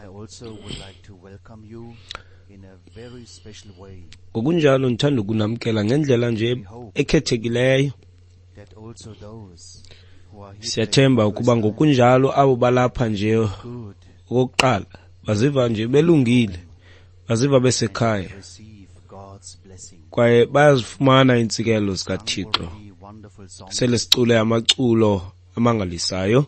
I also would like to welcome you in a very special way. Ngokunjalo ndithanda ukunamkela ngendlela nje ekhethekileyo. That also those who are here Siyathemba today for the ukuba first time ngokunjalo abo balapha nje good okokuqala baziva nje belungile, baziva besekhaya receive God's blessing. kwaye bayazifumana iintsikelelo zikaThixo. Already wonderful songs, Sele sicule amaculo amangalisayo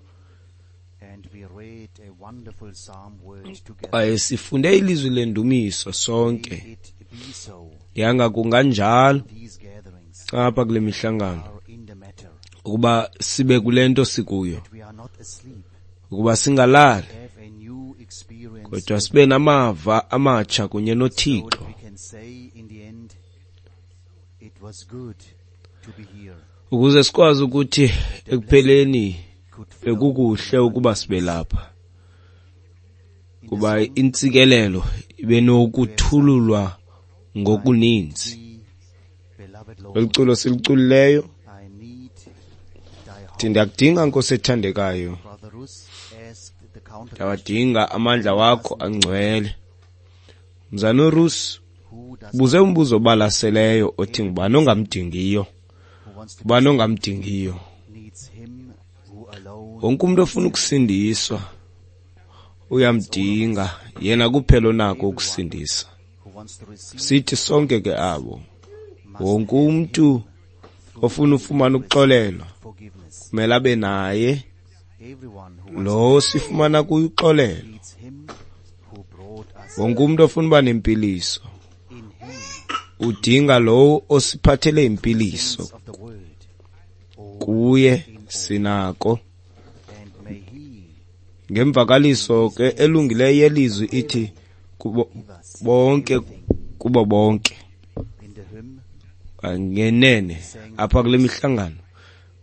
and we read a wonderful psalm word together. kwaye sifunde ilizwi lendumiso sonke. May it be so. Yanga kunganjalo These gatherings apha kule mihlangano are in the matter. ukuba sibe kule nto sikuyo, We are not asleep. ukuba singalali Have a new experience kodwa sibe namava amatsha kunye so noThixo, that we can say in the end, it was good to be here. ukuze sikwazi ukuthi ekupheleni Could flow bekukuhle ukuba sibe lapha, in the kuba song, intsikelelo ibe nokuthululwa ngokuninzi. "Thee, beloved Lord, Eli culo siliculileyo, I need thy thi heart." ndiyakudinga Nkosi ethandekayo, Brother Russ asked the counter ndiyawadinga amandla wakho angcwele. Mzana uRus who does ubuze umbuzo obalaseleyo othi ngubani ongamdingiyo, who wants to ngubani ongamdingiyo. needs him who alone Wonke umuntu ofuna ukusindiswa uyamdinga yena kuphela onako ukusindisa. who wants to receive Sithi sonke ke abo, wonke umuntu ofuna ufumana ukuxolelwa forgiveness. kumele abe naye Everyone who lo sifumana kuye uxolelo. needs him who brought us Wonke umuntu ofuna uba nempiliso in him udinga lowo osiphathele impiliso, of the word. All kuye sinako. and may he Ngemvakaliso ke elungileyo yelizwi ithi kubo bonke kubo bonke. in the hymn Ngenene apha kule mihlangano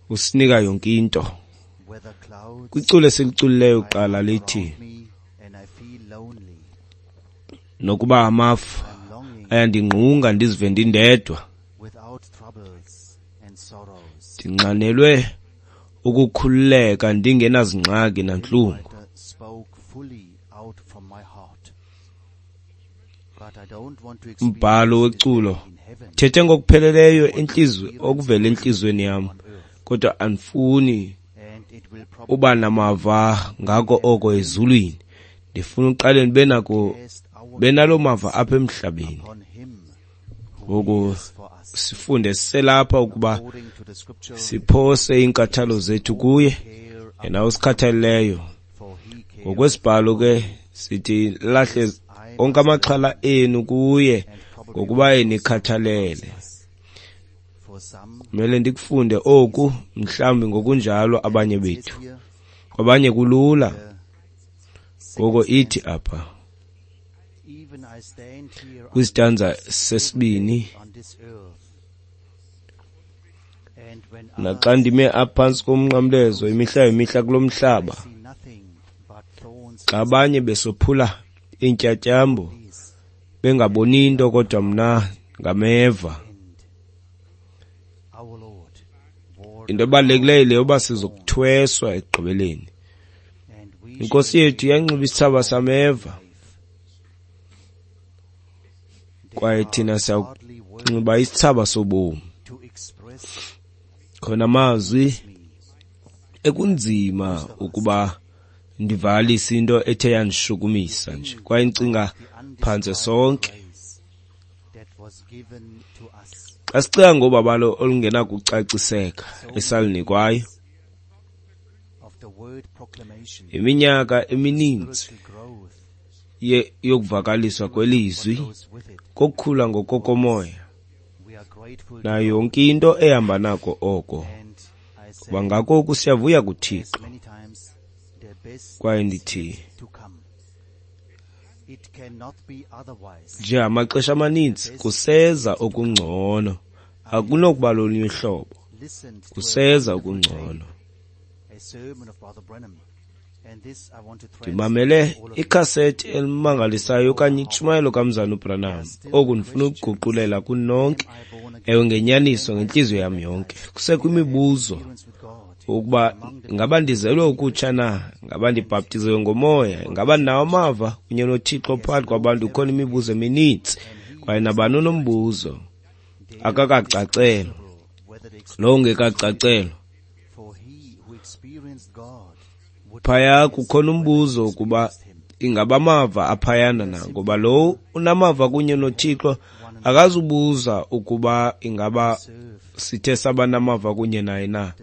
usinika yonke into. whether clouds Kwiculo esiliculileyo kuqala lithi around me and I feel lonely. nokuba amafu I'm longing ayandingqunga ndizive ndindedwa, without troubles and sorrows. ndinxanelwe ukukhululeka ndingenazingxaki nantlungu. Writer spoke fully out from my heart. But I don't want to Umbhalo experience this weculo day in heaven thethe ngokupheleleyo intliziyo okuvela entliziyweni yam, kodwa andifuni and it will probably uba namava ngako oko ezulwini. Ndifuna uqale ndibe nako test our benalo mava apha emhlabeni. upon him who Ngoku cares for us. sifunde siselapha ukuba According to the scripture, siphose iinkathalo zethu kuye care yena osikhathaleleyo. for he cares Ngokwesibhalo ke sithi lahle onke amaxhala enu kuye ngokuba enikhathalele. for some Kumele ndikufunde oku mhlawumbi ngokunjalo abanye bethu. here Kwabanye kulula. Ngoko ithi apha even I stand here kwisitanza sesibini, on this earth and when naxa ndime apha phantsi komnqamlezo imihla ngemihla kulo mhlaba, I see nothing but thorns xa abanye besophula iintyatyambo is bengaboni nto kodwa mna ngameva. and our Lord wore Into ebalulekileyo le yoba sizokuthweswa ekugqibeleni. and we Inkosi yethu yanxiba isithsaba sameva kwaye thina hardly words siyakunxiba isithsaba sobomi. to express Khona amazwi me ekunzima ukuba ndivalise into ethe yandishukumisa nje kwaye ndicinga phantse sonke. grace that was given to us Xa sicinga ngobabalo olungenakucaciseka esalinikwayo, of the word proclamation iminyaka emininzi spiritual growth yokuvakaliswa kwelizwi goes with it. kokukhula ngokokomoya We are grateful nayo yonke into ehamba nako oko. and I say Kuba ngako oku siyavuya kuThixo many times the best kwaye is ndithi yet to come. It cannot be otherwise. njengamaxesha amaninzi kuseza okungcono, akunokuba lolunye uhlobo, Listened to kuseza okungcono. a sermon of Brother Branham, and this I want to translate Ndimamele to all of you. ikhasethi elimangalisayo okanye intshumayelo kamzana uBranham. Oku ndifuna ukuguqulela kunonke, I born again ewe ngenyaniso ngentliziyo yam yonke. Kusekho imibuzo experience with God. Ukuba ngaba ndizelwe ukutsha na, ngaba ndibhaptiziwe ngomoya, ngaba ndinawo amava kunye noThixo phakathi kwabantu. Kukhona imibuzo emininzi, kwaye nabani unombuzo akakacacelwa, lowo ungekacacelwa. Phaya kukhona umbuzo ukuba ingaba amava aphayana na, ngoba lowo unamava kunye noThixo akazubuza ukuba ingaba sithe saba namava kunye naye na.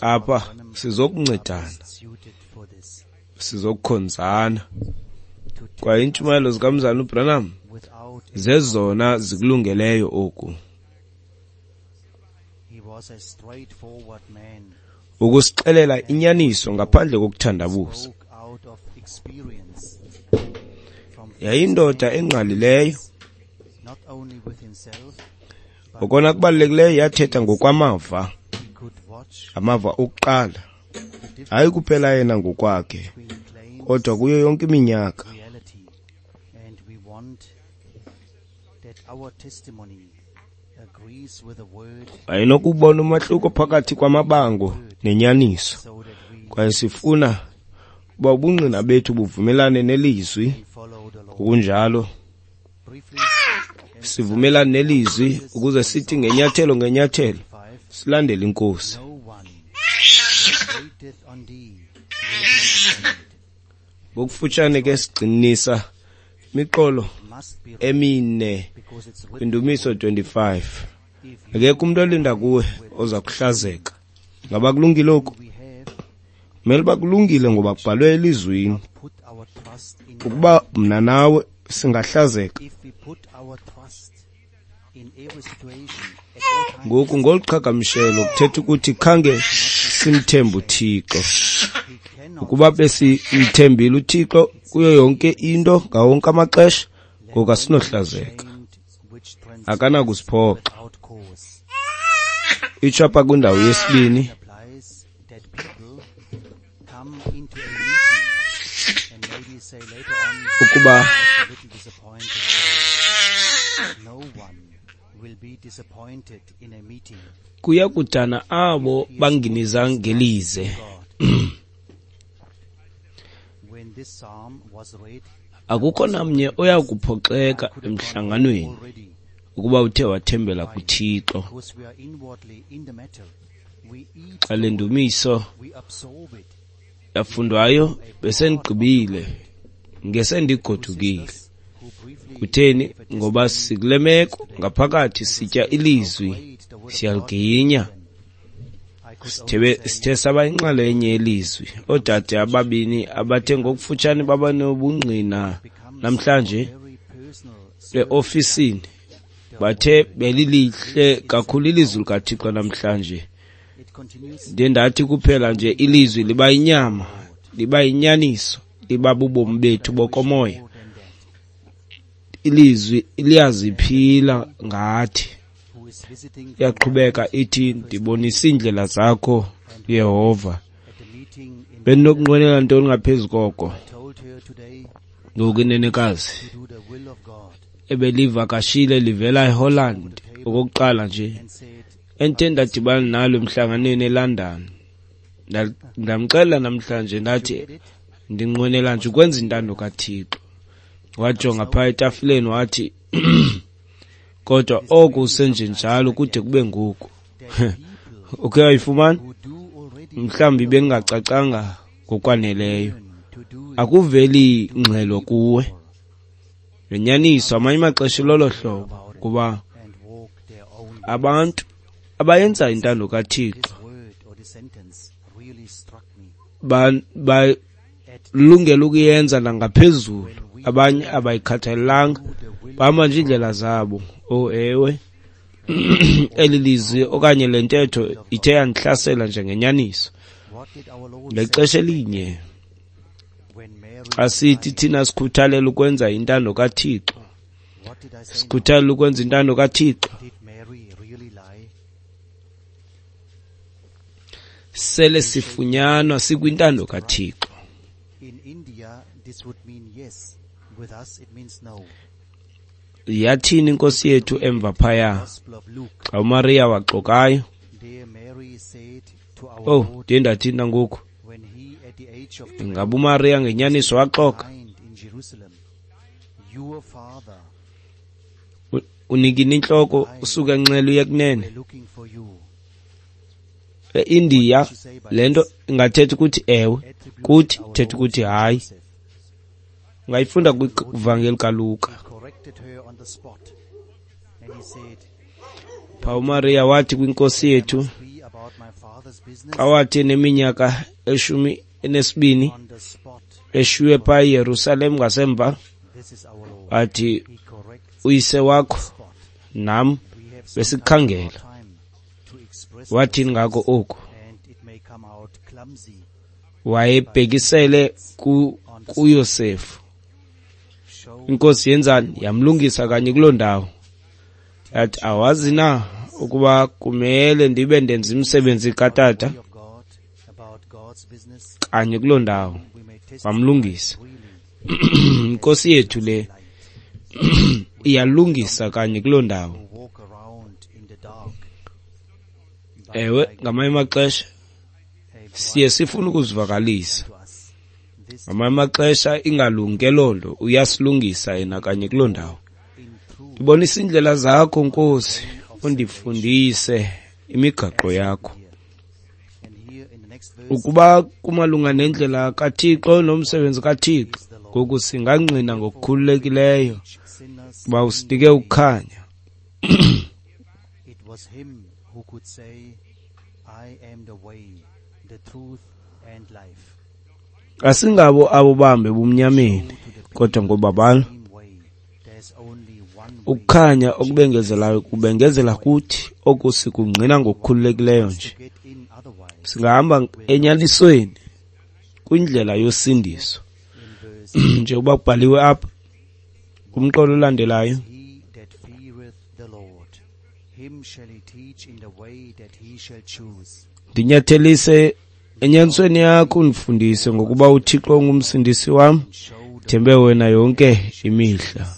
Apha sizokuncedana, sizokukhonzana, kwaye iintshumayelo zikaMzalwana uBranham zezona zikulungeleyo oku. Ukusixelela inyaniso ngaphandle kokuthandabuza. Yayindoda engqalileyo. Okona kubalulekileyo, yathetha ngokwamava, amava okuqala, hayi kuphela yena ngokwakhe, kodwa kuyo yonke iminyaka. Wayenokubona umahluko phakathi kwamabango nenyaniso, kwaye sifuna ukuba ubungqina bethu buvumelane nelizwi. Ngokunjalo sivumelane nelizwi ukuze sithi ngenyathelo ngenyathelo silandele iNkosi. Ngokufutshane ke sigxininisa imiqolo emine kwindumiso 25. Akekho umuntu olinda kuwe oza kuhlazeka. Ngaba kulungile oku? Kumele uba kulungile ngoba kubhalwe elizwini. Ukuba mna nawe singahlazeka. Ngoku ngolu qhagamshelo kuthetha ukuthi khange simthembe uThixo. Ukuba besimthembile uThixo kuyo yonke into ngawo wonke amaxesha, ngoku asinohlazeka. Akanakusiphoxa. Itsho apha kwindawo yesibini, ukuba kuya kudana abo banginiza ngelize. Akukho namnye oya kuphoxeka emhlanganweni ukuba uthe wathembela kuThixo. Xa le ndumiso yafundwayo besendigqibile, ngesendigodukile. Kutheni? Ngoba sikule meko ngaphakathi sitya ilizwi, siyaliginya. Sithe saba inxalenye yelizwi. Oodade ababini abathe ngokufutshane baba nobungqina namhlanje eofisini bathe belilihle kakhulu ilizwi likaThixo namhlanje. Ndiye ndathi kuphela nje ilizwi liba yinyama, liba yinyaniso, liba bubomi bethu bokomoya. Ilizwi liyaziphila ngathi. Iyaqhubeka ithi, ndibonise iindlela zakho, Yehova. Bendinokunqwenela ntoni ngaphezu koko? Ngoku inenekazi ebelivakashile livela eHolland okokuqala nje, endithe ndadibana nalo emhlanganweni eLondon. Ndamxelela namhlanje ndathi ndinqwenela nje ukwenza intando kaThixo. Wajonga phaa etafileni wathi, kodwa oku usenjenjalo kude kube ngoku. Ukhe wayifumana? Mhlawumbi bengingacacanga ngokwaneleyo. Akuveli ngxelo kuwe. Ngenyaniso amanye amaxesha lolo hlobo, kuba abantu abayenza intando kaThixo balungela ukuyenza nangaphezulu, abanye abayikhathalelanga, bahamba nje iindlela zabo. Oh ewe, eli lizwi okanye le ntetho ithe yandihlasela njengenyaniso. Ngexesha elinye xa sithi thina sikhuthalela ukwenza intando kaThixo, sikhuthalela ukwenza intando kaThixo, sele sifunyanwa sikwintando kaThixo. Yathini inkosi yethu emva phaya xa uMaria waxokayo? Oh, ndiye ndathini nangoku? Ingaba uMariya ngenyaniso waxoka? Unikina intloko usuka enxele uye kunene. EIndiya le nto ingathetha ukuthi ewe, kuthi ithetha ukuthi hayi. Ungayifunda kwivangeli kaLuka. Pha uMariya wathi kwinkosi yethu xa wathi eneminyaka 12 eshiywe pha eYerusalem ngasemva, wathi uyise wakho nam besikhangela. Wathini ngako oku? Wayebhekisele kuYosefu. Inkosi yenzani? Yamlungisa kanye kuloo ndawo. Yathi, awazi na ukuba kumele ndibe ndenza imisebenzi katata? Kanye kuloo ndawo wamlungisa. Inkosi yethu le iyalungisa kanye kuloo ndawo. Ewe, ngamanye amaxesha siye sifune ukuzivakalisa. Ngamanye amaxesha ingalungi ke loo nto, uyasilungisa yena kanye kuloo ndawo. Ndibonisa iindlela zakho, Nkosi, undifundise imigaqo yakho. Ukuba kumalunga nendlela kaThixo nomsebenzi kaThixo, ngoku singangqina ngokukhululekileyo uba usinike ukukhanya. Asingabo abo bahambe ebumnyameni, kodwa ngobabalo. Ukukhanya okubengezelayo kubengezela kuthi, oku sikungqina ngokukhululekileyo nje. Singahamba enyanisweni kwindlela yosindiso, njengoba kubhaliwe apha kumqolo olandelayo. Ndinyathelise enyanisweni yakho, undifundise, ngokuba uThixo ungumsindisi wam, thembe wena yonke imihla.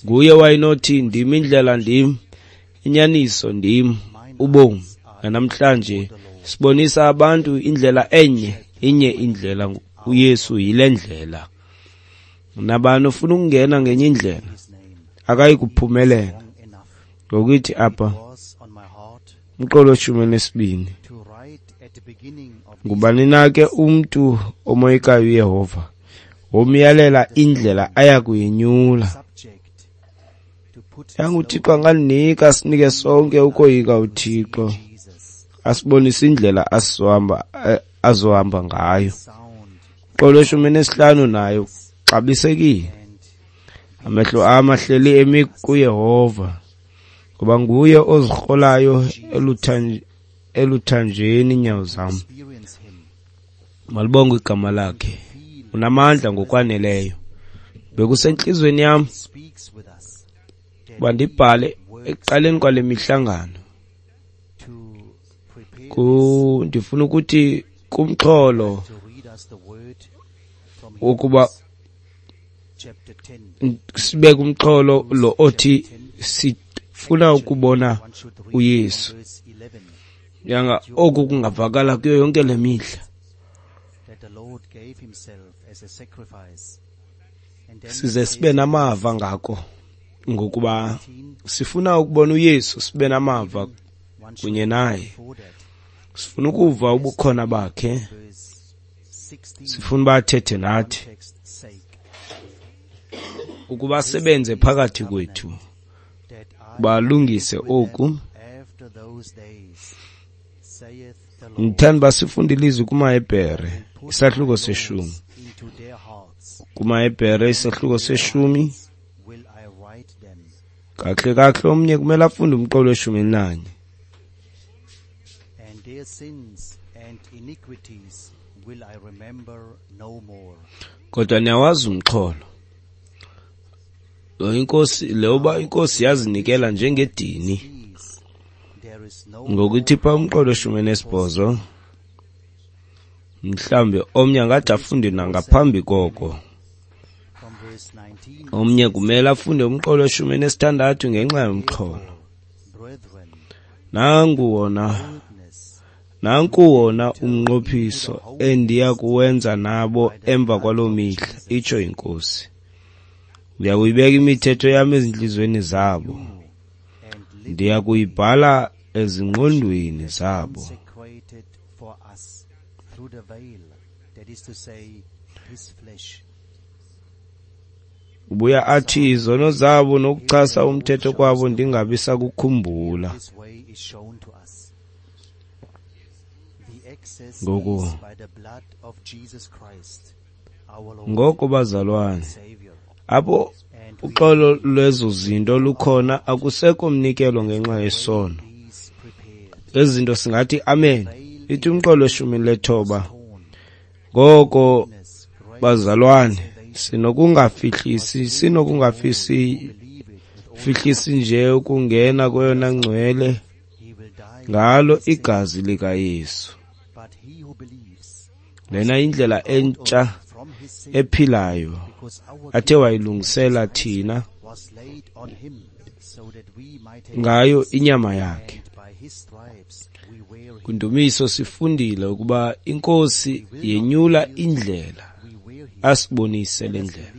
Nguye wayenothi, ndim indlela, ndim inyaniso, ndim ubomi. Namhlanje sibonisa abantu indlela enye, inye indlela, uYesu yile ndlela. Nabani ofuna ukungena ngenye indlela akayi kuphumelela. Ngokuthi apha umqolo 12, ngubani na ke umntu omoyikayo uYehova, womyalela indlela aya kuyinyula. YanguThixo anganinika sinike sonke ukoyika uThixo, asibonise indlela azohamba ngayo. Umqolo 15 nayo xabisekile. Amehlo am ahleli emi kuYehova, ngoba nguye ozirholayo eluthanjeni iinyawo zam. Malibongwe igama lakhe, unamandla ngokwaneleyo. Bekusentliziyweni yam uba ndibhale ekuqaleni kwale mihlangano. Ndifuna ukuthi kumxholo wokuba sibeke umxholo lo othi sifuna ukubona uYesu. Yanga oku kungavakala kuyo yonke le mihla. Size sibe namava ngako, ngokuba sifuna ukubona uYesu, sibe namava kunye naye. Sifuna ukuva ubukhona bakhe, sifuna uba athethe nathi, ukuba asebenze phakathi kwethu, balungise oku. Ndithanda uba sifunde ilizwi kumaHebhere isahluko 10. KumaHebhere isahluko 10. Kakuhle kakuhle omnye kumele afunde umqolo 11. Kodwa niyawazi umxholo. Lo inkosi leyoba inkosi yazinikela njengedini. Ngokuthi pha umqolo 18, mhlambe omnye angathi afunde nangaphambi koko. Omnye kumele afunde umqolo 16 ngenxa yomxholo. Nanku wona umnqophiso endiya kuwenza nabo emva kwaloo mihla, itsho iNkosi. Ndiya kuyibeka imithetho yam ezintliziyweni zabo, ndiya kuyibhala ezingqondweni zabo. Ubuya athi izono zabo nokuchasa umthetho kwabo ndingabi sakukhumbula. Ngoko bazalwane, apho uxolo lwezo zinto lukhona, akusekho mnikelo ngenxa yesono. Ezi zinto singathi amen. Ithi umqolo weshumi lethoba. Ngoko bazalwane, sinokungafihlisi nje ukungena kweyona ngcwele ngalo igazi likaYesu. Lena indlela entsha ephilayo athe wayilungisela thina ngayo inyama yakhe. Kwindumiso sifundile ukuba iNkosi yenyula indlela, asibonise le ndlela.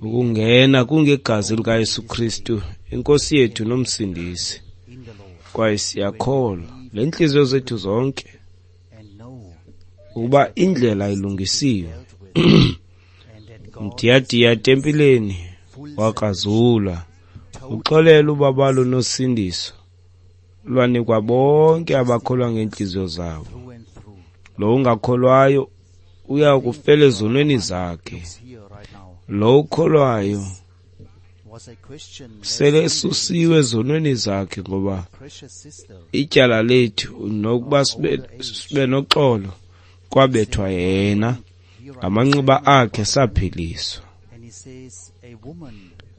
Ukungena kungegazi likaYesu Kristu, iNkosi yethu noMsindisi. Kwaye siyakholwa ngeentliziyo zethu zonke ukuba indlela ilungisiwe. Mdiyadiya etempileni wakrazulwa, uxolelo ubabalo nosindiso lwanikwa bonke abakholwa ngeentliziyo zabo. Lo ungakholwayo uya kufela ezonweni zakhe. Lo ukholwayo sele esusiwe ezonweni zakhe, ngoba ityala lethu nokuba sibe noxolo kwabethwa yena, ngamanxeba akhe saphiliswa.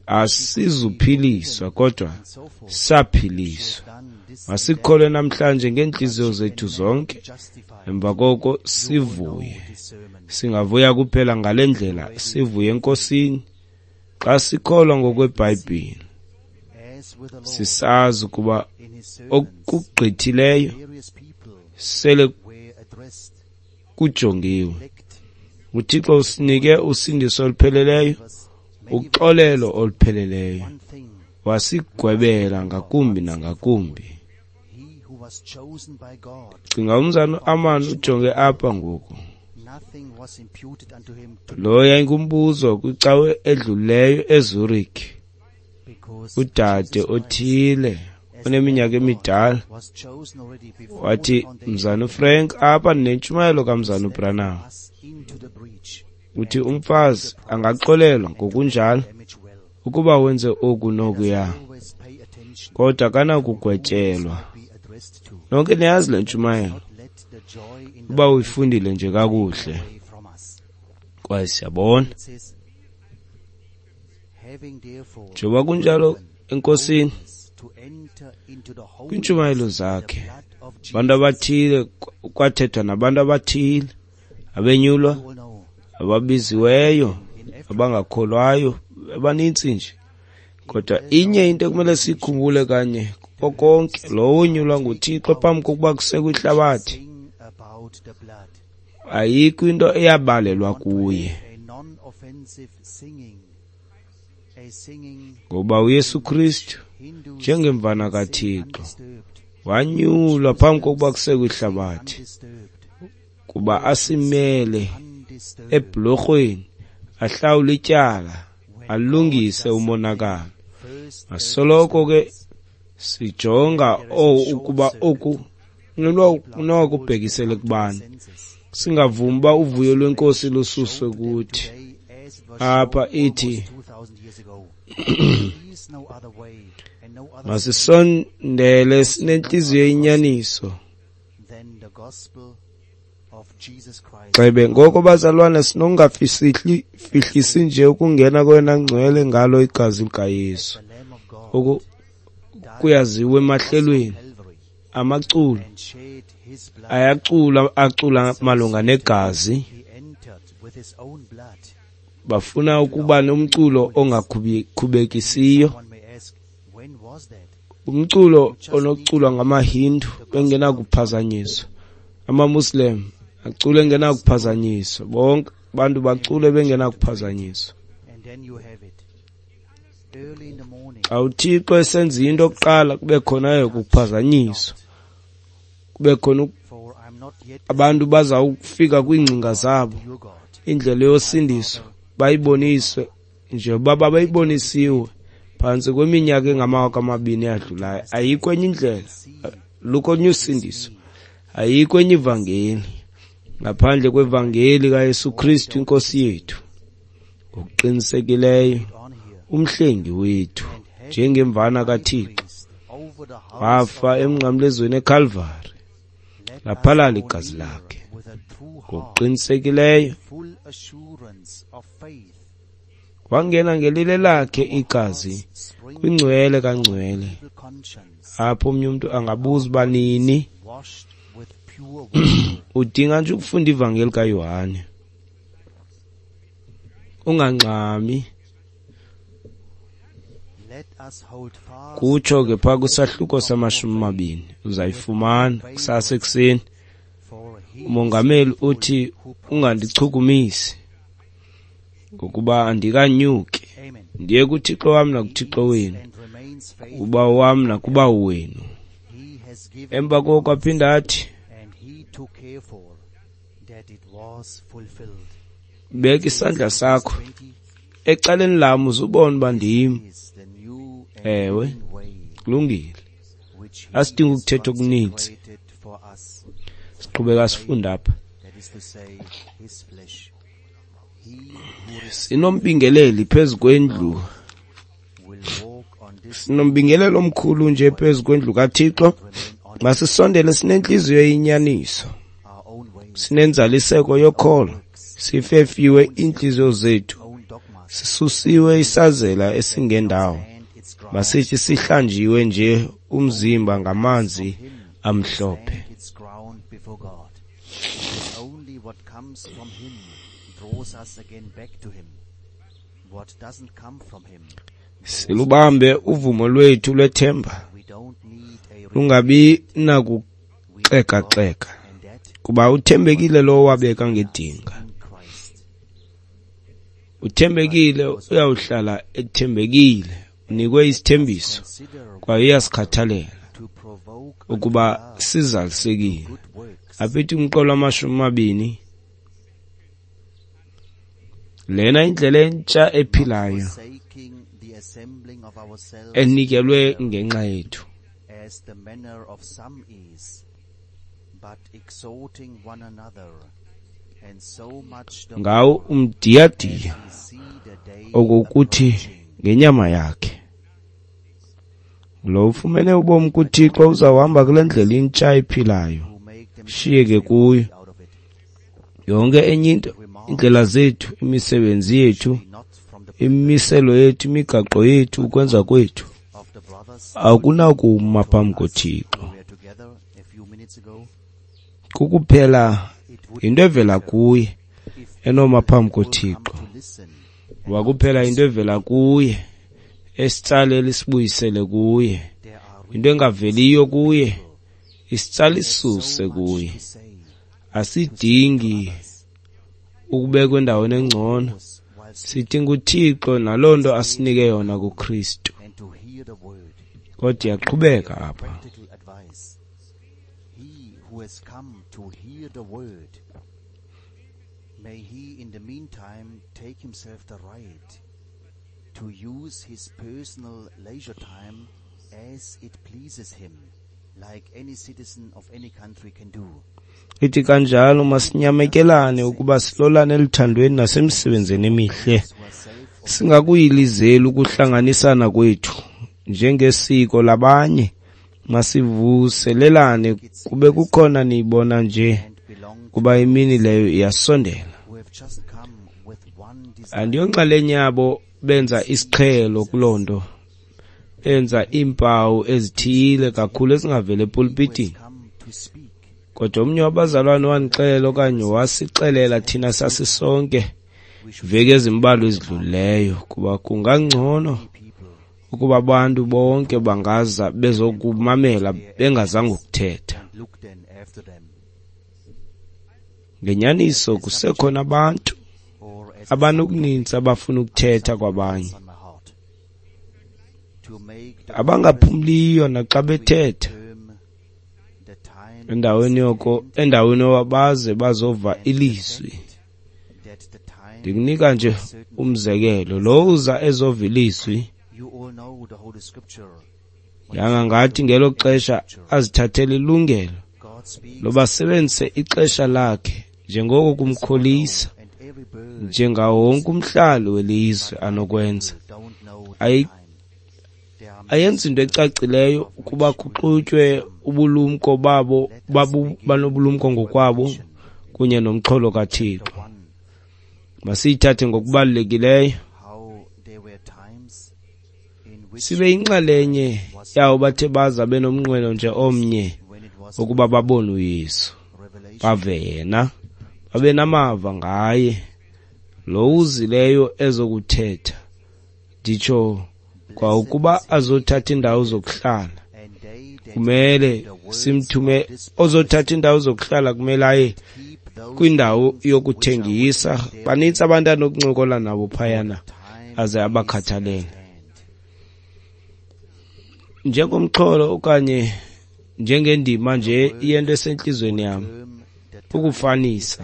Asizuphiliswa kodwa saphiliswa. Masikholwe namhlanje ngeentliziyo zethu zonke, emva koko sivuye. Singavuya kuphela ngale ndlela, sivuye eNkosini xa sikholwa ngokweBhayibhile, sisazi ukuba okugqithileyo sele kujongiwe. uThixo usinike usindiso olupheleleyo, uxolelo olupheleleyo, wasigwebela ngakumbi nangakumbi. Cinga umzana uAmani ujonge apha ngoku. Lo yayingumbuzo kwicawe edlulileyo eZurich. Udade othile oneminyaka emidala wathi, Mzana uFrank, apha ndinentshumayelo kaMzana uBranham. Uthi umfazi angaxolelwa ngokunjalo ukuba wenze oku nokuya, kodwa akanakugwetyelwa. Nonke niyazi le ntshumayelo uba uyifundile nje kakuhle. Kwaye siyabona njengoba kunjalo eNkosini kwiintshumayelo zakhe, abantu abathile kwathethwa nabantu abathile abenyulwa, ababiziweyo, abangakholwayo, abanintsi nje. Kodwa inye into ekumele siyikhumbule kanye kuko konke, lowo wonyulwa nguThixo phambi kokuba kusekwe ihlabathi, ayikho into eyabalelwa kuye, ngoba uYesu Kristu njengemvana kaThixo wanyulwa phambi kokuba kusekwe ihlabathi kuba asimele ebhulorhweni, ahlawule ityala, alungise umonakalo. Asoloko ke sijonga ukuba oku nokubhekisele kubani, singavumi uba uvuyo lweNkosi lususwe kuthi. Apha ithi masisondele sinentliziyo eyinyaniso. Gxebe ngoko bazalwana, sinokungafihlisi nje ukungena kweyona ngcwele ngalo igazi likaYesu. Oku kuyaziwa emahlelweni, amaculo ayacula, acula malunga negazi. Bafuna ukuba nomculo ongakhubekisiyo. Umculo onokuculwa ngamaHindu bengenakuphazanyiswa, amaMuslim acule engenakuphazanyiswa, bonke abantu bacule bengenakuphazanyiswa. Xa uThixo esenza into kuqala kube khona ukuphazanyiswa, kube khona abantu bazawufika kwiingcinga zabo, indlela yosindiso bayiboniswe njengoba babeyibonisiwe phantsi kweminyaka engama-2000 eyadlulayo. Ayikho enye indlela, lukho olunye usindiso, ayikho enye ivangeli ngaphandle kwevangeli kaYesu Kristu iNkosi yethu. Ngokuqinisekileyo umhlengi wethu njengemvana kaThixo wafa emnqamlezweni eKalvari, laphalala igazi lakhe. Ngokuqinisekileyo wangena ngelile lakhe igazi kwingcwele kangcwele, apho omnye umntu angabuza uba nini. Udinga nje ukufunda ivangeli kaYohane, ungangxami. Kutsho ke phaa kwisahluko sama-20, uzayifumana kusasa ekuseni. Umongameli uthi ungandichukumisi ngokuba andikanyuki ndiye kuThixo wam nakuThixo wenu, kuBawo wam nakuBawo wenu. Emva koko aphinda athi, beka isandla sakho ecaleni lam uzubone uba ndim. Ewe, kulungile, asidingi ukuthetha okuninzi, siqhubeka sifunda apha. Sinombingeleli phezu kwendlu, sinombingeleli omkhulu nje phezu kwendlu kaThixo. Masisondele sinentliziyo eyinyaniso, sinenzaliseko yokholo, sifefiwe iintliziyo zethu, sisusiwe isazela esingendawo. Masithi sihlanjiwe nje umzimba ngamanzi amhlophe. Silubambe uvumo lwethu lwethemba, lungabi nakuxekaxeka, kuba uthembekile lowo wabeka ngedinga. Uthembekile, uyawuhlala ethembekile, unikwe isithembiso kwaye uyasikhathalela ukuba sizalisekile. Aphithi umqolo wama-20, lena indlela entsha ephilayo enikelwe ngenxa yethu. Ngawo umdiyadiya okokuthi ngenyama yakhe. Lo ufumene ubomi kuThixo uzawuhamba kule ndlela intsha ephilayo, shiyeke kuyo yonke enye into, indlela zethu, imisebenzi yethu, imimiselo yethu, imigaqo yethu, ukwenza kwethu akunakuma phambi koThixo. Kukuphela into evela kuye enoma phambi koThixo, wakuphela into evela kuye esitsalela isibuyisele kuye, into engaveliyo kuye isitsala isisuse kuye. Asidingi ukubekwa endaweni engcono, sidinga uThixo naloo nto asinike yona kuKristu. Kodwa iyaqhubeka apha. May he in the meantime take himself the right to use his personal leisure time as it pleases him, like any citizen of any country can do. Ithi kanjalo masinyamekelane ukuba silolane eluthandweni nasemisebenzini emihle, singakuyilizeli ukuhlanganisana kwethu njengesiko labanye. Masivuselelane kube kukhona niyibona nje kuba imini leyo iyasondela. Andiyonxalenye yabo benza isiqhelo kuloo nto, benza iimpawu ezithile kakhulu ezingaveli epulpitini. Kodwa omnye wabazalwane wandixelela okanye wasixelela thina sasisonke veki ezimbalwa ezidlulileyo kuba kungangcono ukuba abantu bonke bangaza bezokumamela bengazanga ukuthetha. Ngenyaniso kusekhona abantu abanokuninzi abafuna ukuthetha kwabanye, abangaphumliyo naxa bethetha. Endaweni yoko, endaweni yoba baze bazova ilizwi. Ndikunika nje umzekelo, lo uza ezova ilizwi, yanga ngathi ngelo xesha azithathele ilungelo loba asebenzise ixesha lakhe njengoko kumkholisa, njengawo wonke umhlali welizwe anokwenza. Ayenzi into ecacileyo ukuba kuxutywe ubulumko babo, banobulumko ngokwabo kunye nomxholo kaThixo. Masiyithathe ngokubalulekileyo, sibe yinxalenye yawo bathe baza benomnqweno nje omnye ukuba babone uYesu, bave yena, babe namava ngaye lo uzileyo ezokuthetha, nditsho kwa ukuba azothatha indawo zokuhlala. Kumele simthume ozothatha indawo zokuhlala, kumele aye kwindawo yokuthengisa. Banintsi abantu anokuncokola nabo phayana aze abakhathalele. Njengomxholo okanye njengendima nje yento esentliziyweni yam, ukufanisa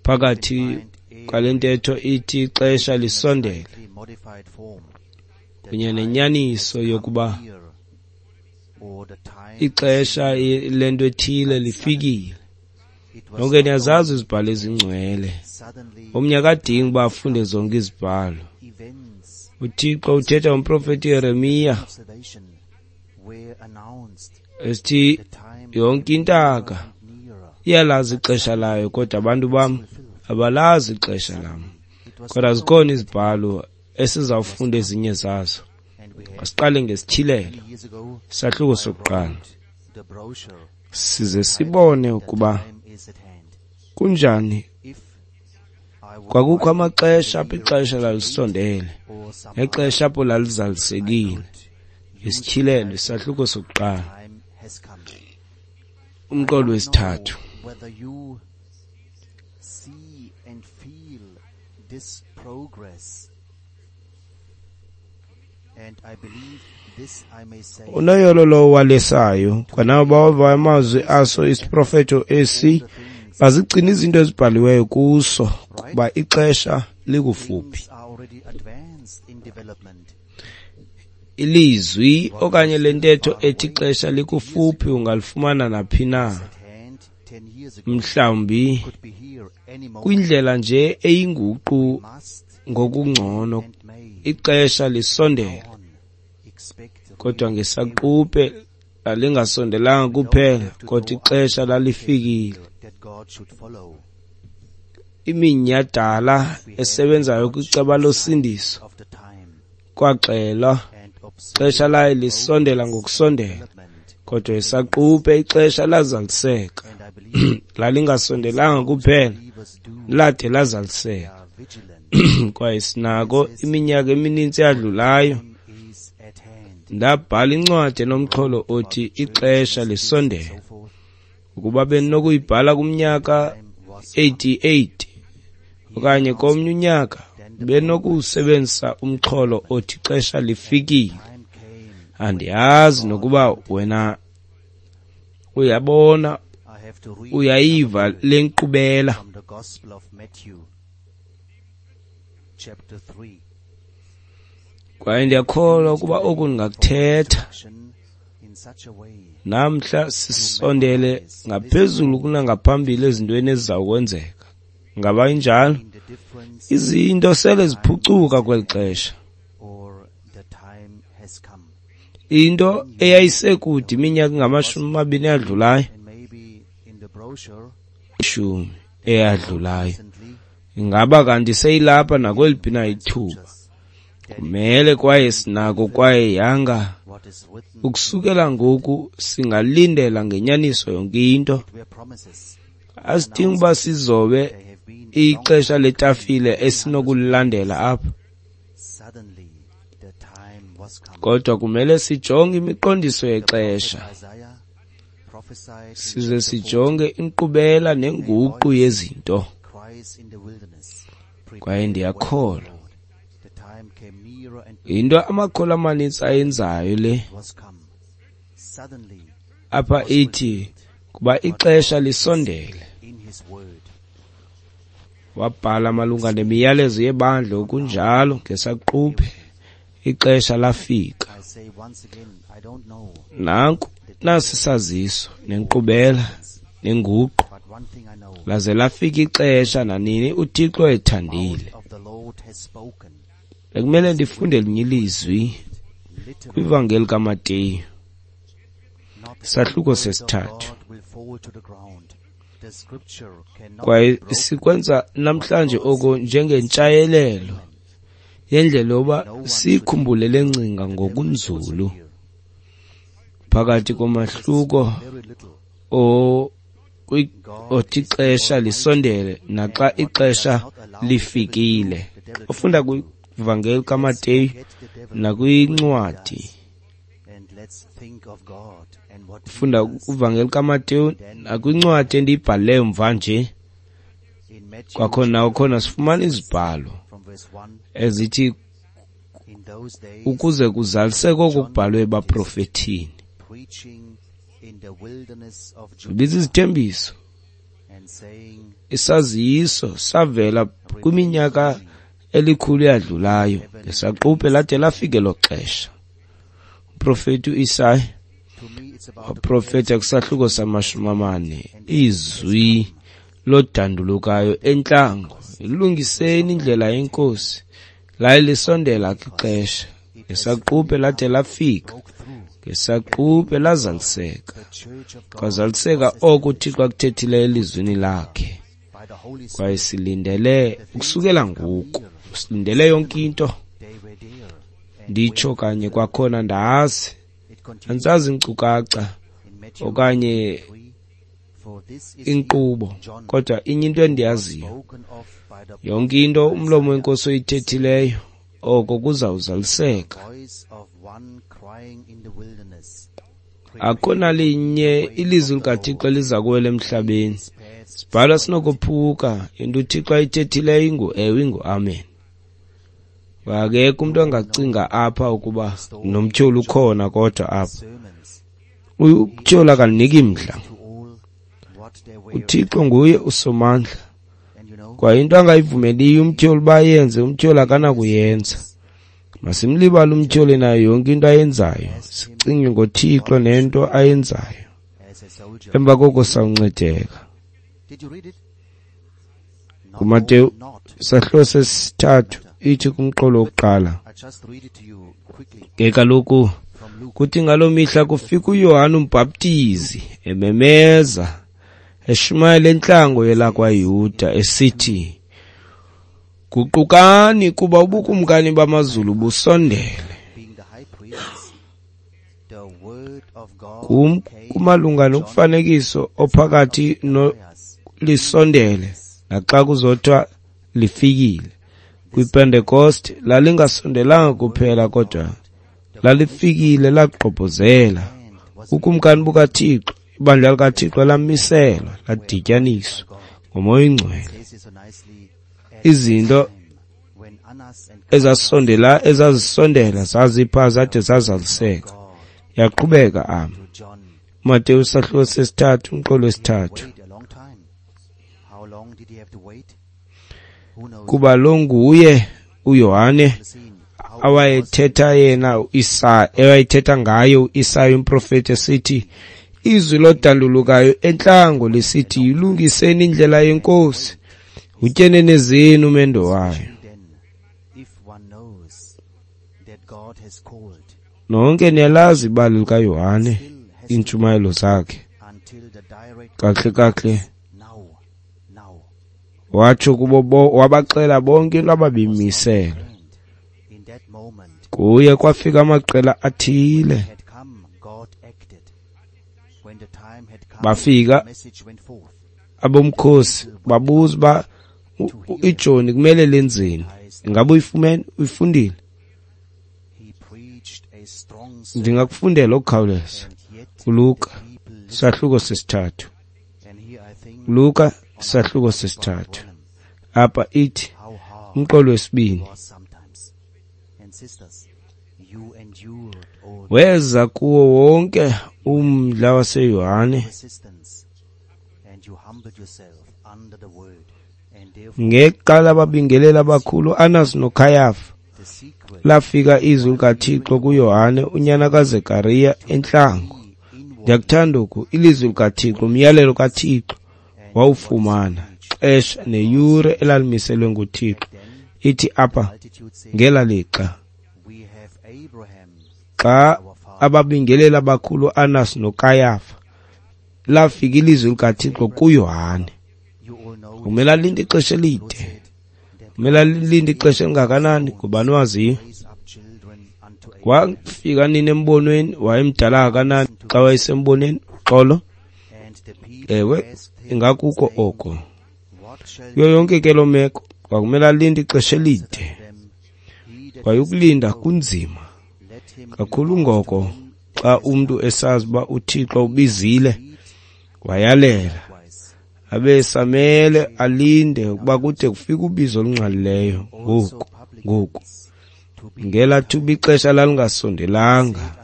phakathi kwale ntetho ithi ixesha lisondele kunye nenyaniso yokuba ixesha lento ethile lifikile. Nonke niyazazi izibhalo ezingcwele. Omnye akadingi uba afunde zonke izibhalo. UThixo uthetha ngomprofeti Yeremiya esithi yonke intaka iyalazi ixesha layo, kodwa abantu bam abalazi ixesha lam. Kodwa zikhona izibhalo esizawufunda ezinye zazo. Asiqale ngesityhilelo, isahluko sokuqala, size sibone ukuba kunjani. Kwakukho amaxesha apho ixesha lalisondele nexesha apho lalizalisekile. Isityhilelo, isahluko sokuqala, umqolo wesithathu. Unoyolo lowo walesayo, kwanabo bawavayo amazwi aso isiprofeto esi, bazigcina izinto ezibhaliweyo kuso, kuba ixesha likufuphi. Ilizwi okanye le ntetho ethi ixesha likufuphi ungalifumana naphi na, mhlawumbi kwindlela nje eyinguqu ngokungcono. Ixesha lisondele, kodwa ngesaquphe lalingasondelanga kuphela, kodwa ixesha lalifikile. Iminyhadala esebenzayo kwiceba losindiso kwaxelwa, ixesha laye lisondela ngokusondela, kodwa isaquphe ixesha lazaliseka. Lalingasondelanga kuphela, lade lazaliseka. Kwaye sinako iminyaka emininzi eyadlulayo ndabhala incwadi enomxholo othi ixesha lisondele. Ukuba bendinokuyibhala kumnyaka 88 okanye komnye unyaka, benokusebenzisa umxholo othi ixesha lifikile. Andiyazi nokuba wena uyabona, uyayiva le nkqubela. Kwaye ndiyakholwa ukuba oku ndingakuthetha namhla sisondele ngaphezulu kunangaphambili ezintweni ezizawukwenzeka. Ngaba injalo? Izinto sele ziphucuka kweli xesha. Into eyayisekude iminyaka engamashumi amabini eyadlulayo, ishumi eyadlulayo, ingaba kanti seyilapha nakweliphi na ithuba. Kumele kwaye sinako kwaye yanga ukusukela ngoku singalindela ngenyaniso yonke into. Asidingi uba sizobe ixesha letafile esinokulilandela apha. Kodwa kumele sijonge imiqondiso yexesha, size sijonge inkqubela nenguqu yezinto. Kwaye ndiyakholwa yinto amakholwa amanintsi ayenzayo le apha ithi kuba ixesha lisondele. Wabhala malunga nemiyalezo yebandla okunjalo ngesaquphe ixesha lafika. Nanku nasi saziso nenkqubela nenguqu, laze lafika ixesha nanini uThixo ethandile. Bekumele ndifunde elinye ilizwi kwivangeli kaMateyu, isahluko sesithathu. Kwaye sikwenza namhlanje oko njengentshayelelo yendlela yoba siyikhumbule le ngcinga ngokunzulu phakathi komahluko othi ixesha lisondele naxa ixesha lifikile. Ufunda kwivangeli kaMateyu nakwincwadi, ufunda kwivangeli kaMateyu nakwincwadi endiyibhale mva nje. Kwakhona sifumana izibhalo ezithi ukuze kuzaliseke okubhalwe ebaprofethini. Zibiza izithembiso. Isaziso savela kwiminyaka elikhulu yadlulayo, ngesaquphe lade lafike lo xesha. Umprofeti uIsaya waprofeta kwisahluko sama-40, izwi lodandulukayo entlango, ilungiseni indlela yeNkosi, laye lisondela ixesha. Ngesaquphe lade lafika, ngesaquphe lazaliseka. Kwazaliseka oko uThixo akuthethileyo elizwini lakhe. Kwaye silindele ukusukela ngoku, silindele yonke into. Nditsho kanye kwakhona, ndazi andisazi inkcukacha okanye inkqubo, kodwa inye into endiyaziyo, yonke into umlomo wenkosi oyithethileyo oko kuzawuzaliseka. Akho nalinye ilizwi likaThixo eliza kuwela emhlabeni. Sibhalwa sinokophuka, into uThixo ayithethileyo ingu-ewe, ingu-amen. Akekho umntu angacinga apha ukuba nomtyholi ukhona, kodwa apha umtyholi akaniki mdla. uThixo nguye usomandla, kwaye into angayivumeliyo umtyholi uba ayenze, umtyholi akanakuyenza. Masimlibale umtyholi nayo yonke into ayenzayo, sicinge ngoThixo nento ayenzayo. Emva koko sawuncedeka. KuMateyu isahluko sesithathu ithi kumqolo wokuqala, ke kaloku kuthi ngaloo mihla kufika uYohane uMbhaptizi ememeza eshumayela entlango yelakwaYuda esithi, guqukani kuba ubukumkani bamazulu busondele. Kumalunga nomfanekiso ophakathi lisondele naxa kuzothiwa lifikile. KwiPentecost lalingasondelanga kuphela, kodwa lalifikile lagqobhozela. Ukumkani bukaThixo, ibandla likaThixo lamiselwa, ladityaniswa ngoMoya oyiNgcwele. Izinto ezazisondela zazipha zade zazaliseka. Yaqhubeka ama. Mateyu isahluko sesithathu umqolo wesithathu. Kuba lo nguye uYohane awayethetha yena uIsaya, awayethetha ngaye uIsaya umprofeti esithi, izwi lodandulukayo entlango lisithi, yilungiseni indlela yeNkosi, utyenene zenu umendo wayo. Nonke niyalazi ibali likaYohane, iintshumayelo zakhe. Kahle kahle watsho kubo, wabaxela bonke into ababemiselwe. Kuye kwafika amaqela athile, bafika abomkhosi babuza uba ijoni kumele lenzeni, ingabe uyifumene, uyifundile? Ndingakufundela okukhawuleza kuLuka isahluko sesithathu. Luka isahluko sesithathu. Apha ithi umqolo wesibini. Weza kuwo wonke umdla waseYohane ngexa lababingeleli abakhulu Anas noKhayafa, lafika izwi likaThixo kuYohane unyana kaZekariya entlango. Ndiyakuthanda oku, ilizwi likaThixo, umyalelo kaThixo wawufumana xesha neyure elalimiselwe nguThixo. Ithi apha ngela lixa xa ababingeleli abakhulu Anas noKayafa lafika ilizwi likaThixo kuYohane. Kumele alinde ixesha elide, kumele alinde ixesha elingakanani? Ngubani waziyo? Wafika nini embonweni? Wayemdala kangakanani xa wayesembonweni? Uxolo, ewe, ingakuko oko. Kuyo yonke ke loo meko kwakumele alinde ixesha elide, kwaye ukulinda kunzima kakhulu. Ngoko xa umntu esazi uba uThixo ubizile wayalela, abe samele alinde ukuba kude kufike ubizo olungqalileyo. Ngoku ngela thuba ixesha lalingasondelanga,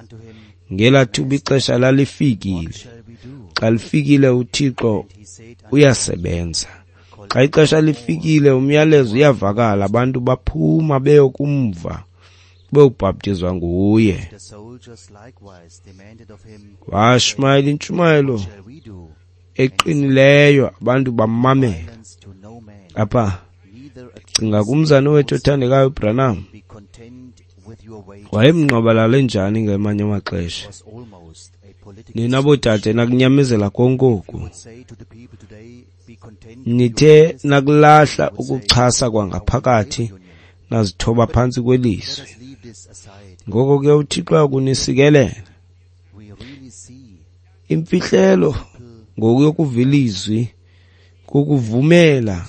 ngela thuba ixesha lalifikile. Xa lifikile uThixo uyasebenza. Xa ixesha lifikile umyalezo uyavakala, abantu baphuma beyokumva, beyobhaptizwa nguye. Washumayela intshumayelo eqinileyo, abantu bamamela. Apha cinga kumzane wethu othandekayo uBranham, wayemngqwabalala njani ngamanye amaxesha. Nina boodade nakunyamezela konke oku, nithe nakulahla ukuchasa kwangaphakathi, nazithoba phantsi kwelizwi. Ngoko ke uThixo uyakunisikelela. Imfihlelo ngokuyokuva ilizwi kukuvumela,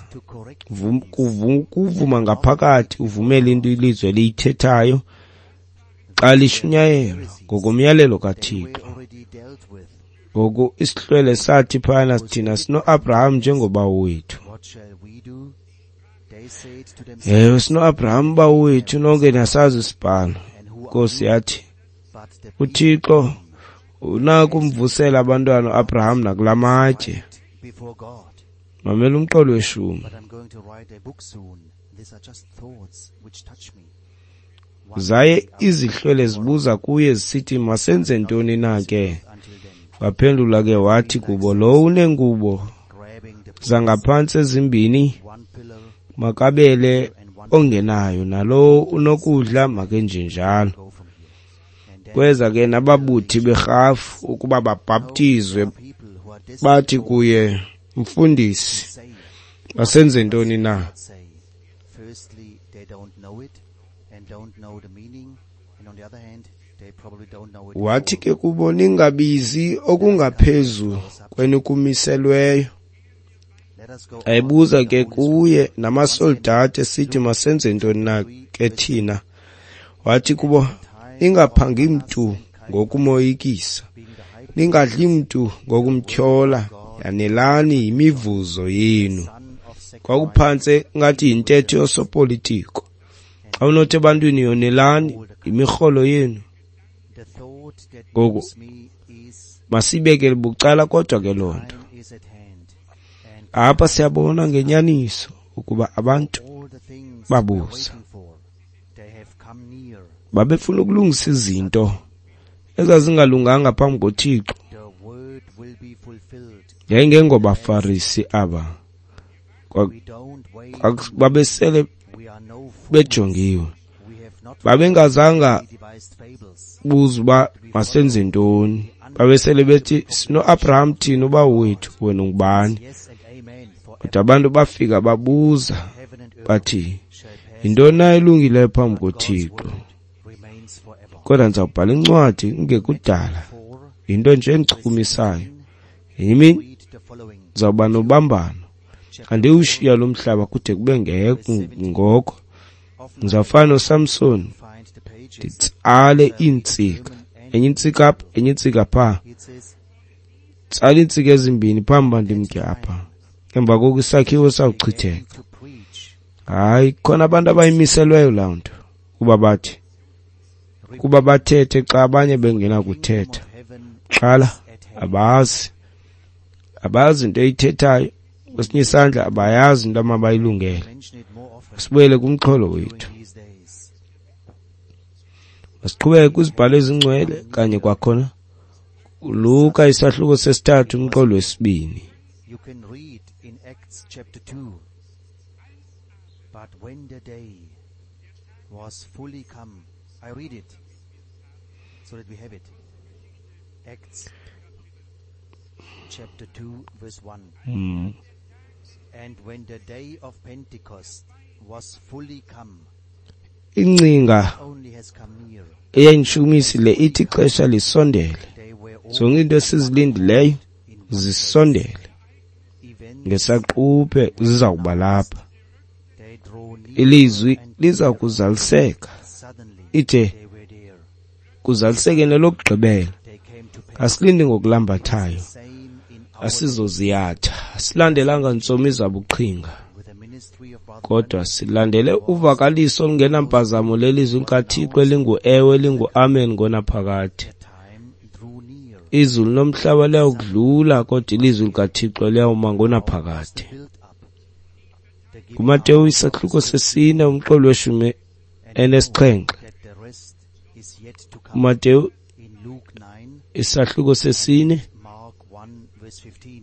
kuvuma ngaphakathi, uvumele into ilizwi eliyithethayo xa lishunyayelwa ngokomyalelo kaThixo. Ngoku isihlwele sathi phana, thina sino-Abraham njengobawo wethu. Ewe, sino-Abraham bawo wethu, nonke niyasazi isibhalo. Nkosi yathi, uThixo unakumvusela abantwana uAbraham nakula matye. Mamela umqolo weshumi. Zaye izihlwele zibuza kuye zisithi, masenze ntoni na ke? Waphendula ke wathi kubo, lo unengubo zangaphantsi ezimbini makabele ongenayo, nalowo unokudla makenjenjalo. Kweza ke nababuthi berhafu ukuba babhaptizwe, bathi kuye, Mfundisi, masenze ntoni na? Wathi ke kubo, ningabizi okungaphezu kwenikumiselweyo. Ayibuza ke kuye namasoldati esithi, masenze ntoni na ke thina? Wathi kubo, ningaphangi mntu ngokumoyikisa, ningadli mntu ngokumtyhola, yanelani yimivuzo yenu. Kwakuphantse ngathi yintetho yosopolitiko. Xa unothi ebantwini yonelani yimirholo yenu. Ngoku masibekele bucala kodwa ke loo nto. Apha siyabona ngenyaniso ukuba abantu babuza. Babefuna ukulungisa izinto ezazingalunganga phambi koThixo. Yayingengobafarisi aba, babesele bejongiwe. Babengazanga buza uba masenze ntoni. Babesele bethi, sino-Abraham thina ubawo wethu, wena ungubani? Kodwa abantu bafika babuza bathi, yintoni na elungileyo phambi koThixo? Kodwa ndizawubhala incwadi kungekudala, yinto nje endichukumisayo. Ngenye imini ndizawuba nobambano, andiwushiya lo mhlaba kude kube ngoko. Ndizawufana noSamson, nditsale iintsika Enye intsika apha, enye intsika phaa. Tsala iintsika ezimbini phambi uba ndimke apha. Emva koko isakhiwo sawuchitheka. Hayi, khona abantu abayimiselweyo laa nto, kuba bathi, kuba bathethe xa abanye bengenakuthetha. Xhala, abazi. Abazi into eyithethayo. Kwesinye isandla abayazi into amabayilungele. Sibuyele kumxholo wethu. Masiqhubeke kwizibhalo ezingcwele kanye kwakhona. Luka isahluko sesithathu umxholo wesibini. You can read in Acts chapter 2. But when the day was fully come, I read it so that we have it. Acts chapter 2 verse 1. And when the day of Pentecost was fully come, Ingcinga only has come near. eyayindishukumisi le ithi ixesha lisondele. They were all Zonke into esizilindileyo in one place. zisondele. Events Ngesaquphe ziza kuba lapha. they draw nearer Ilizwi and liza nearer. kuzaliseka. Suddenly Ithe they were there. kuzaliseke nelokugqibela. They came to pass. Asilindi ngokulambathayo. Same in our Asizoziyatha. Asilandelanga ntsomi zabuqhinga. with the ministry of Brother Kodwa silandele uvakaliso olungenampazamo lelizwi likaThixo elingu-ewe elingu-amen ngonaphakade. The time drew near. Izulu nomhlaba liyawudlula kodwa ilizwi likaThixo liyawuma ngonaphakade. Built up. The giving KuMateyu out isahluko sesine umxholo weshumi and know enesixhenxe. that the rest is yet to come. KuMateyu In Luke 9, isahluko sesine Mark 1 verse 15.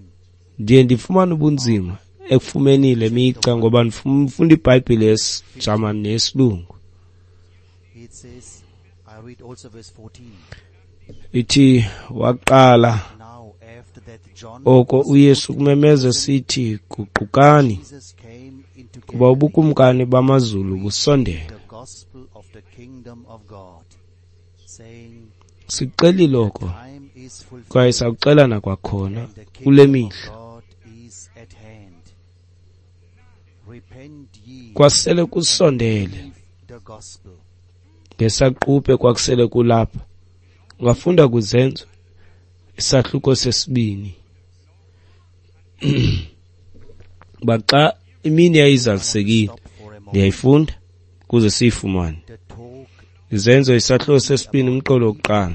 ndiye ndifumane ubunzima ekufumeni le mica ngoba ndifunda iBhayibhile yesiJamani neyesilungu. It says, I read also verse 14. Ithi waqala Now after that John oko was uYesu put kumemeza sithi guqukani Jesus came into kuba Galilee, ubukumkani bamazulu busondele. the gospel of the kingdom of God, saying, Sixelile oko time is fulfilled kwaye sawuxela nakwakhona and the kule kingdom of mihla. God is at hand. Repent ye Kwasele kusondele believe the gospel. ngesaquphe kwakusele kulapha. Ungafunda kuzenzo isahluko sesibini. Uba xa imini yayizalisekile Stop for a moment. ndiyayifunda ukuze siyifumane. The talk Izenzo isahluko sesibini umqolo wokuqala.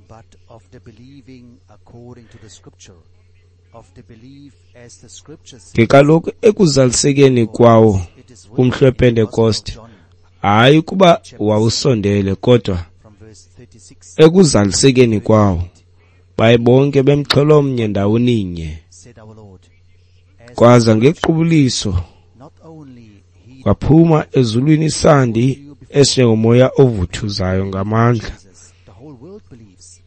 but of the believing according to the scripture, of the belief as the scripture says, Ke kaloku ekuzalisekeni kwawo it is written umhla in the Gospel of wePentekoste, John hayi kuba wawusondele kodwa from verse 36 ekuzalisekeni kwawo baye bonke bemxhelo mnye ndawoninye. said our Lord, as Kwaza ngequbuliso not only he kwaphuma ezulwini isandi esinjengomoya ovuthuzayo ngamandla. Jesus, the whole world believes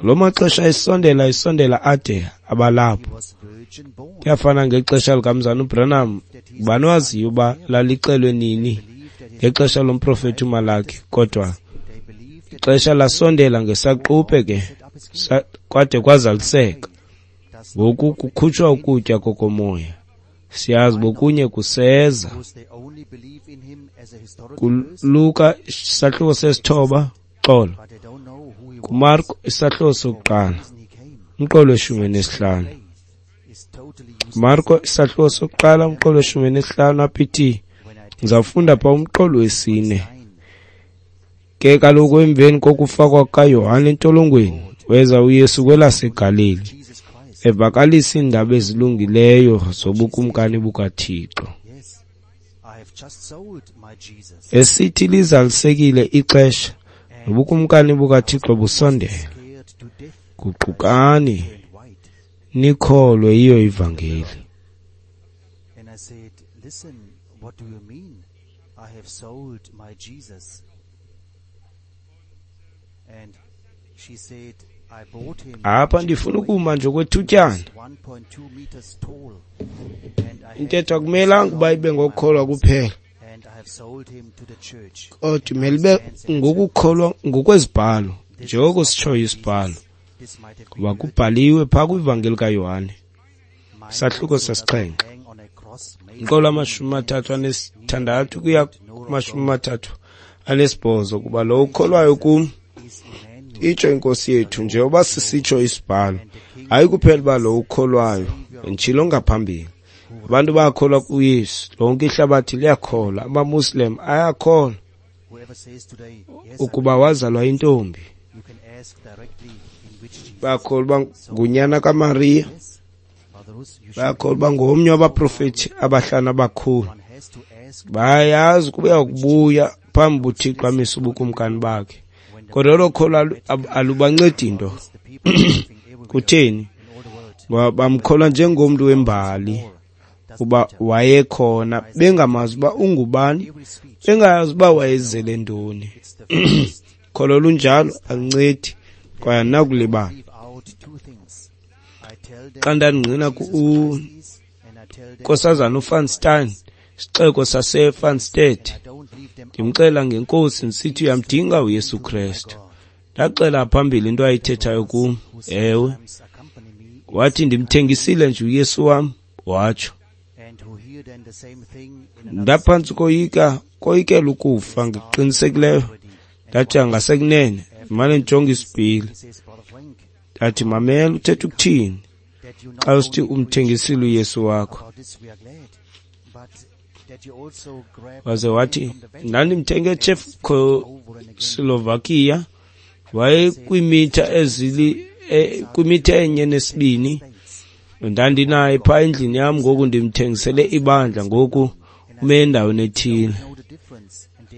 Loo maxesha esondela esondela ade abalapho. he was virgin born, Kuyafana ngexesha likamzana uBranham, ubani waziyo uba lalixelwe nini believed that his, ngexesha lomprofethi uMalaki, kodwa they believed that ixesha lasondela ngesaquphe ke set up his kingdom. kwade kwazaliseka. Thus, Ngoku kukhutshwa ukutya kokomoya. Siyazi bokunye kuseza. because they only believe in him as a historical person, KuLuka isahluko sesithoba xolo. but they don't know who he was, KuMarko isahluko for what sokuqala reason he came. umqolo weshumi nesihlanu. Faith is totally useless. Marko isahluko sokuqala umqolo weshumi nesihlanu apha ithi When I ndizawufunda pha umqolo wesine. 9, Ke kaloku emveni kokufakwa kukaYohane entolongweni weza uYesu kwelaseGalili Jesus Christ, evakalisa iindaba ezilungileyo zobukumkani bukaThixo. yes, I have just sold my Jesus. Esithi lizalisekile ixesha nobukumkani bukaThixo busondele. Scared to death, Guqukani turned white. nikholwe yiyo ivangeli. And I said, listen, what do you mean? I have sold my Jesus. And she said, I bought him Apha ndifuna ukuma nje okwethutyana. 1.2 meters tall. And I Intetho akumelanga uba ibe ngokukholwa kuphela, and I have sold him to the church. kodwa imele ibe ngokukholwa ngokwezibhalo, njengoko sitshoyo isibhalo. This might have Kuba been kubhaliwe phaa kwivangeli kaYohane mine isahluko also does not sesixhenxe hang on a cross made umqolo 36 kuya kuma-38 kuba lowo ukholwayo kum is Emmanuel. Itsho iNkosi yethu, njengoba sisitsho isibhalo, hayi kuphela uba lo ukholwayo, nditshilo ngaphambili. Abantu bayakholwa kuYesu, lonke ihlabathi liyakholwa, amaMuslim ayakholwa ukuba wazalwa intombi. Bayakholwa uba ngunyana kaMariya, bayakholwa uba ngomnye wabaprofethi abahlanu abakhulu. Bayazi ukuba uyakubuya phambi buThixo amise ubukumkani bakhe. Kodwa olo kholo alubancedi nto. Kutheni? Ngoba bamkholwa njengomntu wembali uba wayekhona, bengamazi uba ungubani, bengayazi uba wayezele ntoni. Kholo lunjalo aluncedi kwaye andinakulibala. Xa ndandingqina kuNkosazana uVan isixeko saseVanstead, ndimxelela ngeNkosi ndisithi uyamdinga uYesu Krestu. Ndaxela phambili into ayithethayo kum. Ewe, wathi ndimthengisile nje uYesu wam, watsho. Ndaphantsi koyika, koyikela ukufa ngokuqinisekileyo. Ndathi angasekunene, ndimane ndijonga isipili. Ndathi, mamela, uthetha ukuthini xa usithi umthengisile uYesu wakho? Waze wathi, ndandimthenge eCzechoslovakia, wayekwimitha kwimitha 1.2. Ndandinaye phaa endlini yam, ngoku ndimthengisele ibandla, ngoku ume endaweni ethile.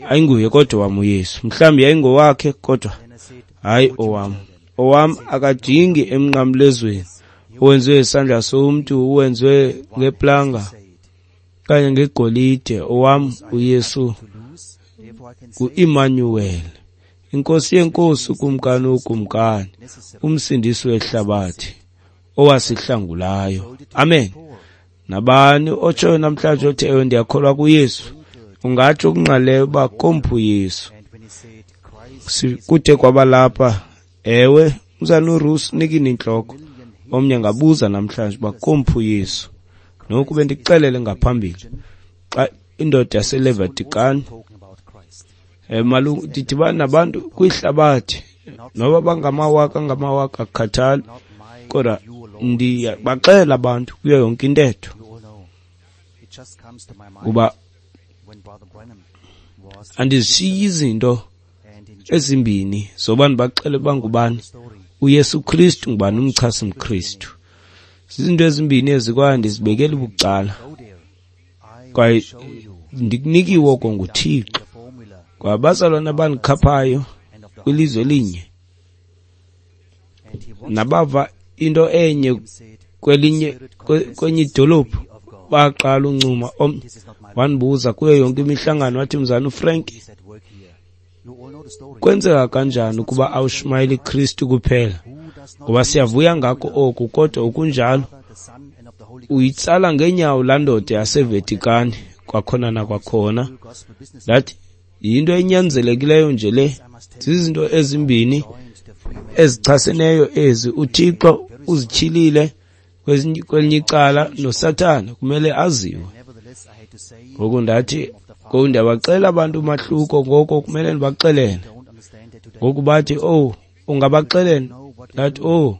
Ayinguye kodwa wam uYesu, mhlawumbi yayingowakhe kodwa hayi owam. Owam akajingi emnqamlezweni owenziwe isandla somntu, uwenziwe ngeplanga okanye ngegolide. Owam uYesu ngu-Emmanuel, iNkosi yenkosi, uKumkani wokumkani, uMsindisi wehlabathi owasihlangulayo. Amen. Nabani otshoyo namhlanje othi ewe ndiyakholwa kuYesu, ungatsho okungqaleyo uba komphi uYesu. Kude kwabalapha, ewe, umzana uRusi unikile intloko. Omnye angabuza namhlanje uba komphi uYesu. Noku bendikuxelele ngaphambili, xa indoda yaseLevatikani, malungu ndidibana nabantu kwihlabathi, noba bangamawaka ngamawaka akukhathali, kodwa ndiyabaxelela abantu kuyo yonke intetho kuba andizishiyi izinto ezimbini zoba ndibaxele uba ngubani uYesu Kristu, ngubani umchasi mKristu. Zizinto ezimbini ezi kwaye ndizibekela bucala, kwaye ndikunikiwe oko nguThixo. Kwaye abazalwana abandikhaphayo kwilizwe elinye nabava into enye kwelinye kwenye idolophu baqala uncuma. Wandibuza kuyo yonke imihlangano, wathi, mzana uFrank, kwenzeka kanjani ukuba awushumayeli Kristu kuphela? Ngoba siyavuya ngako oku, kodwa okunjalo uyitsala ngeenyawo laa ndoda yaseVatikani kwakhona nakwakhona. Ndathi, yinto enyanzelekileyo nje le. Zizinto ezimbini ezichaseneyo ezi. uThixo uzityhilile kwelinye icala, noSathana kumele aziwe. Ngoku ndathi, ngoku ndiyabaxelela abantu umahluko, ngoko kumele ndibaxelele. Ngoku bathi, oh, ungabaxelela? Ndathi, oh.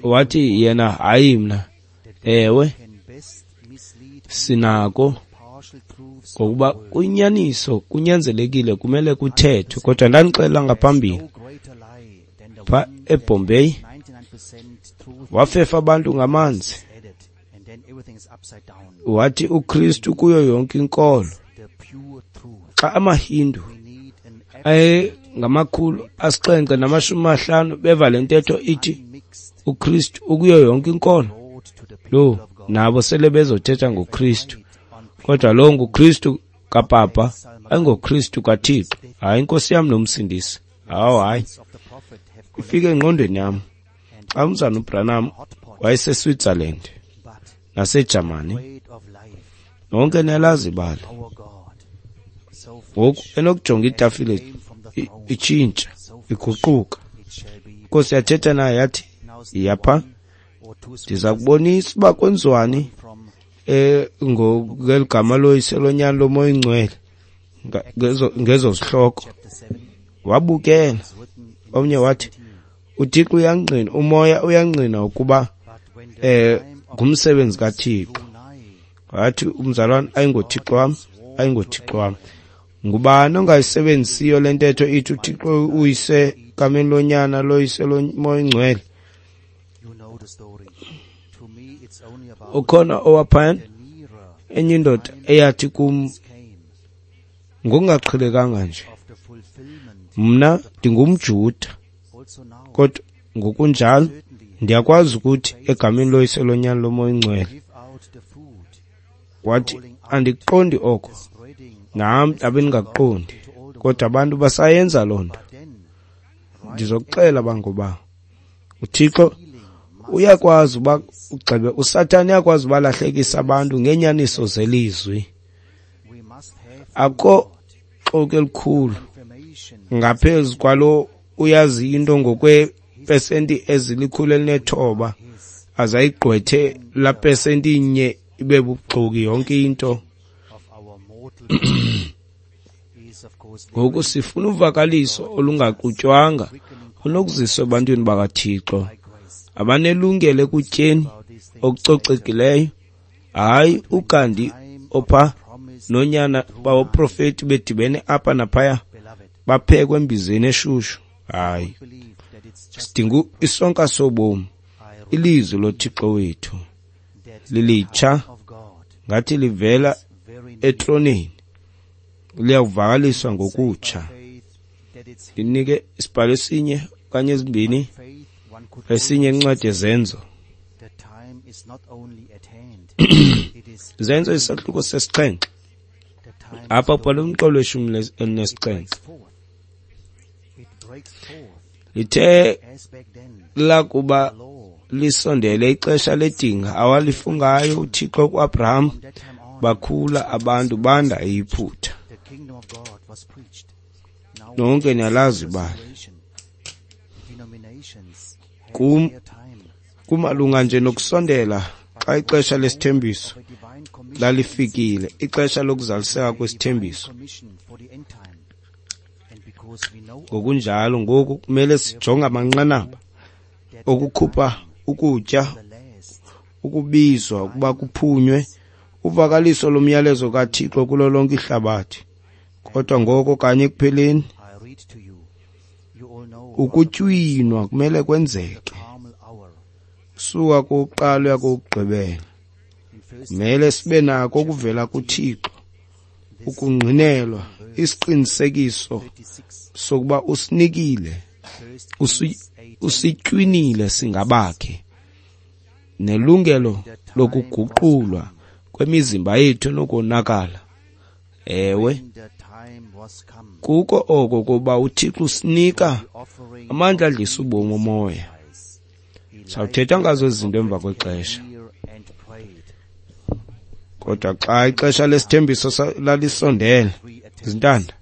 Wathi yena, hayi mna. Ewe, sinako, ngokuba kuyinyaniso, kunyanzelekile, kumele kuthethwe. Kodwa ndandixelela ngaphambili pha eBombay, wafefa abantu ngamanzi. Wathi uKristu kuyo yonke inkolo. Xa amaHindu aye 750 beva le ntetho ithi uKristu ukuyo yonke inkolo, lo nabo sele bezothetha ngoKristu. Kodwa lo nguKristu kaPapa, ayingoKristu kaThixo. Hayi, iNkosi yam nomsindisi. Hawu, hayi, ifike engqondweni yam xa umzana uBranham wayeseSwitzerland naseJamani. Nonke niyalazi ibali. Ngoku enokujonga itafile itshintsha, iguquka. Inkosi yathetha naye yathi, yiya pha, ndiza kubonisa uba kwenziwani ngeli gama loyise, lonyana, loMoya oyiNgcwele, ngezo zihloko. Wabukela. Omnye wathi, uThixo uyangqina, umoya uyangqina ukuba ngumsebenzi kaThixo. Wathi umzalwane, ayingoThixo wam, ayingoThixo wam. Ngubani ongayisebenzisiyo le ntetho ithi uThixo uyise egameni loNyana, loYise, loMoya oyiNgcwele? Ukhona owaphayana enye indoda eyathi kum ngokungaqhelekanga nje, mna ndingumJuda, kodwa ngokunjalo ndiyakwazi ukuthi egameni loYise, loNyana, loMoya oyiNgcwele. Wathi, andiqondi oko, nam ndabe ndingaqondi, kodwa abantu basayenza loo nto. Ndizokuxela bangoba uThixo uyakwazi uba ugxebe, uSathane uyakwazi ubalahlekisa abantu ngeenyaniso zelizwi. Akho xoki elikhulu ngaphezu kwalo uyazi into ngokwepesenti ezilikhulu elinethoba azayigqwethe la pesenti inye ibe buxoki yonke into. Ngoku sifuna uvakaliso olungaxutywanga olunokuziswa ebantwini bakaThixo abanelungelo ekutyeni okucocekileyo, hayi uGandhi opha nonyana bawoprofeti bedibene apha naphaya baphekwe embizeni eshushu. Hayi, sidinga isonka sobomi, ilizwi loThixo wethu lilitsha ngathi livela etroneni, liyawuvakaliswa ngokutsha. Ndinike isibhalo esinye okanye ezimbini, esinye incwadi yeZenzo. Zenzo isahluko sesixhenxe. Apha kubhalwe umqolo weshumi elinesixhenxe. Lithe lakuba lisondele ixesha ledinga awalifungayo uThixo kuAbraham, bakhula abantu banda eYiputa. Nonke niyalazi ibali. Kumalunga nje nokusondela xa ixesha lesithembiso lalifikile, ixesha lokuzaliseka kwesithembiso. Ngokunjalo ngoku kumele sijonge amanqanaba okukhupha ukutya, ukubizwa ukuba kuphunywe uvakaliso lomyalezo kaThixo kulo lonke ihlabathi. Kodwa ngoko kanye ekupheleni ukutywinwa kumele kwenzeke. Suka kokuqala uya kokugqibela. Kumele sibe nako okuvela kuThixo, ukungqinelwa, isiqinisekiso sokuba usinikile, usitywinile singabakhe, nelungelo lokuguqulwa kwemizimba yethu enokonakala. Ewe, kuko oko kuba uThixo usinika amandla adlisa ubomi omoya. Sawuthetha ngazo ezi zinto emva kwexesha. Kodwa xa ixesha lesithembiso lalisondele, zintanda,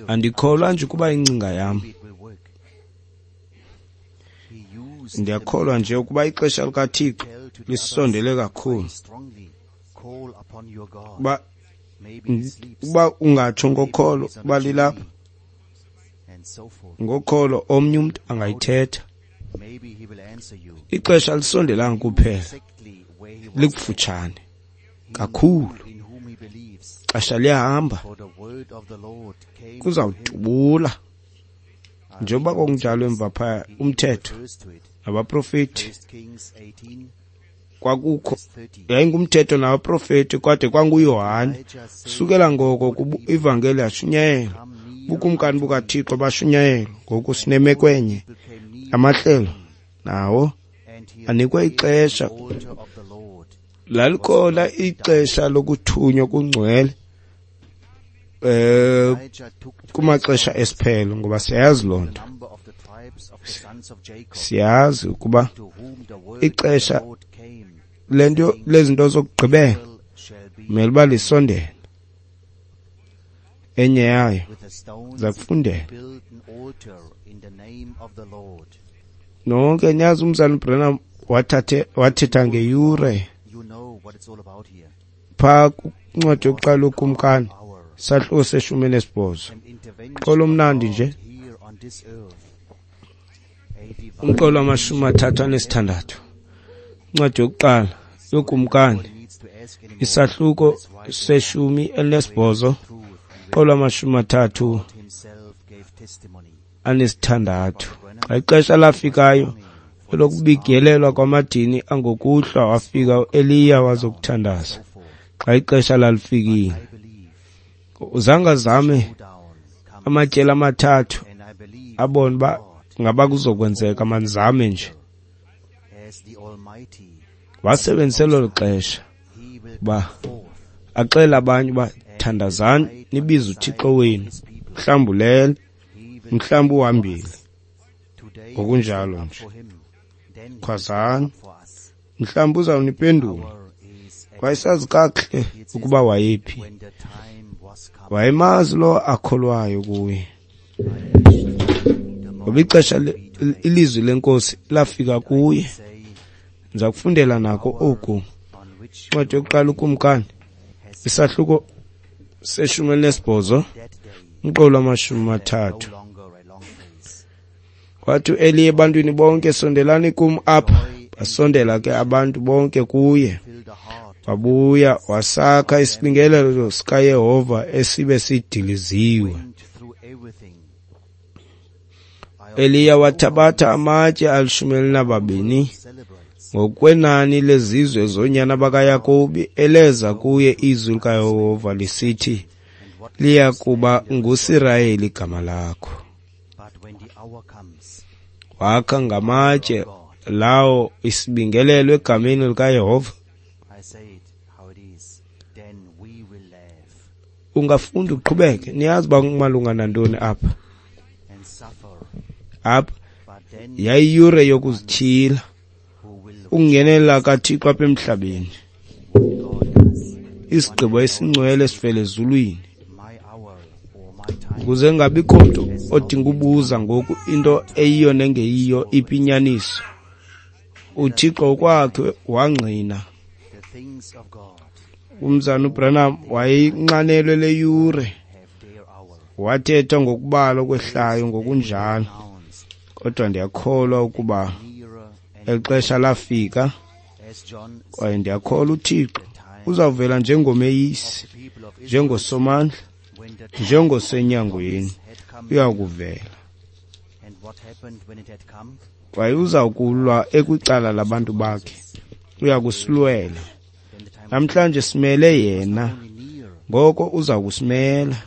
andikholwa nje ukuba ingcinga yam. Ndiyakholwa nje ukuba ixesha likaThixo lisondele kakhulu. Uba ungatsho ngokholo uba lilapha, ngokholo omnye umntu angayithetha. Ixesha lisondelanga kuphela, likufutshane kakhulu. Ixesha liyahamba, kuzawudubula. Njengoba kwakunjalo emva phaya umthetho nabaprofeti, kwakukho yayingumthetho nabaprofeti kwade kwanguYohane. Sukela ngoko ivangeli yashunyayelwa, bukumkani bukaThixo bashunyayelwa. Ngoku sinemeko enye, amahlelo nawo anikwe ixesha. Lalikhona ixesha lokuthunywa kungcwele kumaxesha esiphelo, ngoba siyayazi loo nto. Siyazi ukuba ixesha lento lezinto zokugqibela kumele uba lisondele. Enye yayo za kufundela. Nonke niyazi umzalwana uBranham wathetha ngeyure phaa kwincwadi yokuqala yoKumkani Isahluko se-18. Umqolo omnandi nje. Umqolo wama-36. Incwadi yokuqala yoKumkani, isahluko se-18, umqolo wama-36. Xa ixesha lafikayo elokubigelelwa kwamadini angokuhlwa, wafika uEliya wazokuthandaza. Xa ixesha lalifikile, uzange azame amatyeli amathathu abone uba ngaba kuzokwenzeka, mandizame nje. Wasebenzisa elo xesha uba axele abanye uba thandazani, nibize uThixo wenu, mhlawumbi ulele, mhlawumbi uhambile, ngokunjalo nje. Khwazani, mhlawumbi uzawuniphendula. Wayesazi kakuhle ukuba wayephi. Wayemazi lo akholwayo kuye. Ngoba ixesha ilizwi lenkosi lafika kuye. Ndiza kufundela nako oku. Incwadi yokuqala uKumkani, isahluko se-18, umqolo wama-30. Wathi uEliya ebantwini bonke, sondelani kum apha. Basondela ke abantu bonke kuye. Wabuya wasakha isibingelelo sikaYehova esibe sidiliziwe. Eliya wathabatha amatye 12 ngokwenani lezizwe zoonyana bakaYakobi, eleza kuye izwi likaYehova lisithi, liya kuba nguSirayeli igama lakho. Wakha ngamatye lawo isibingelelo egameni likaYehova. Ungafunda uqhubeke, niyazi uba kumalunga nantoni apha. Apha yayiyure yokuzityhila, ukungenelela kaThixo apha emhlabeni, isigqibo esingcwele esivela ezulwini, ukuze kungabikho mntu odinga ubuza ngoku into eyiyo nengeyiyo, iphi inyaniso. UThixo kwakhe wangqina. Umzana uBranham wayeyinxanelwe le yure, wathetha ngokubala okwehlayo ngokunjalo, kodwa ndiyakholwa ukuba eli xesha lafika, kwaye ndiyakholwa uThixo uzawuvela njengomeyisi, njengosomandla, njengosenyangweni, uyakuvela. Kwaye uzawukulwa ekwicala labantu bakhe, uyakusilwela. Namhlanje simele yena, ngoko uza kusimela.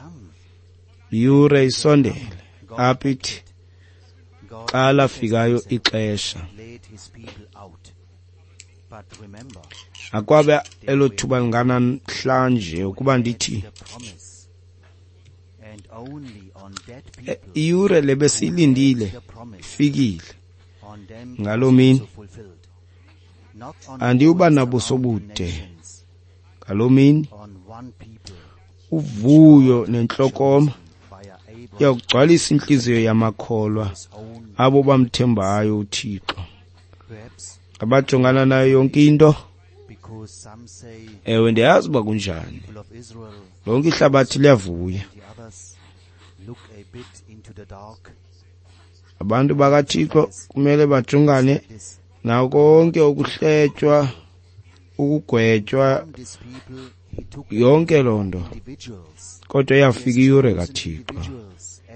Iyure isondele, apha ithi xa lafikayo ixesha. Akwabe elo thuba linganamhlanje ukuba ndithi iyure le besiyilindile ifikile. Ngaloo mini andiyuba nabuso bude. Ngaloo mini uvuyo nentlokoma iyakugcwalisa intliziyo yamakholwa, abo bamthembayo uThixo, abajongana nayo yonke into. Ewe, ndiyazi uba kunjani. Lonke ihlabathi liyavuya. Abantu bakaThixo kumele bajongane nako konke ukuhletywa, ukugwetywa, yonke loo nto. Kodwa iyafika iyure kaThixo,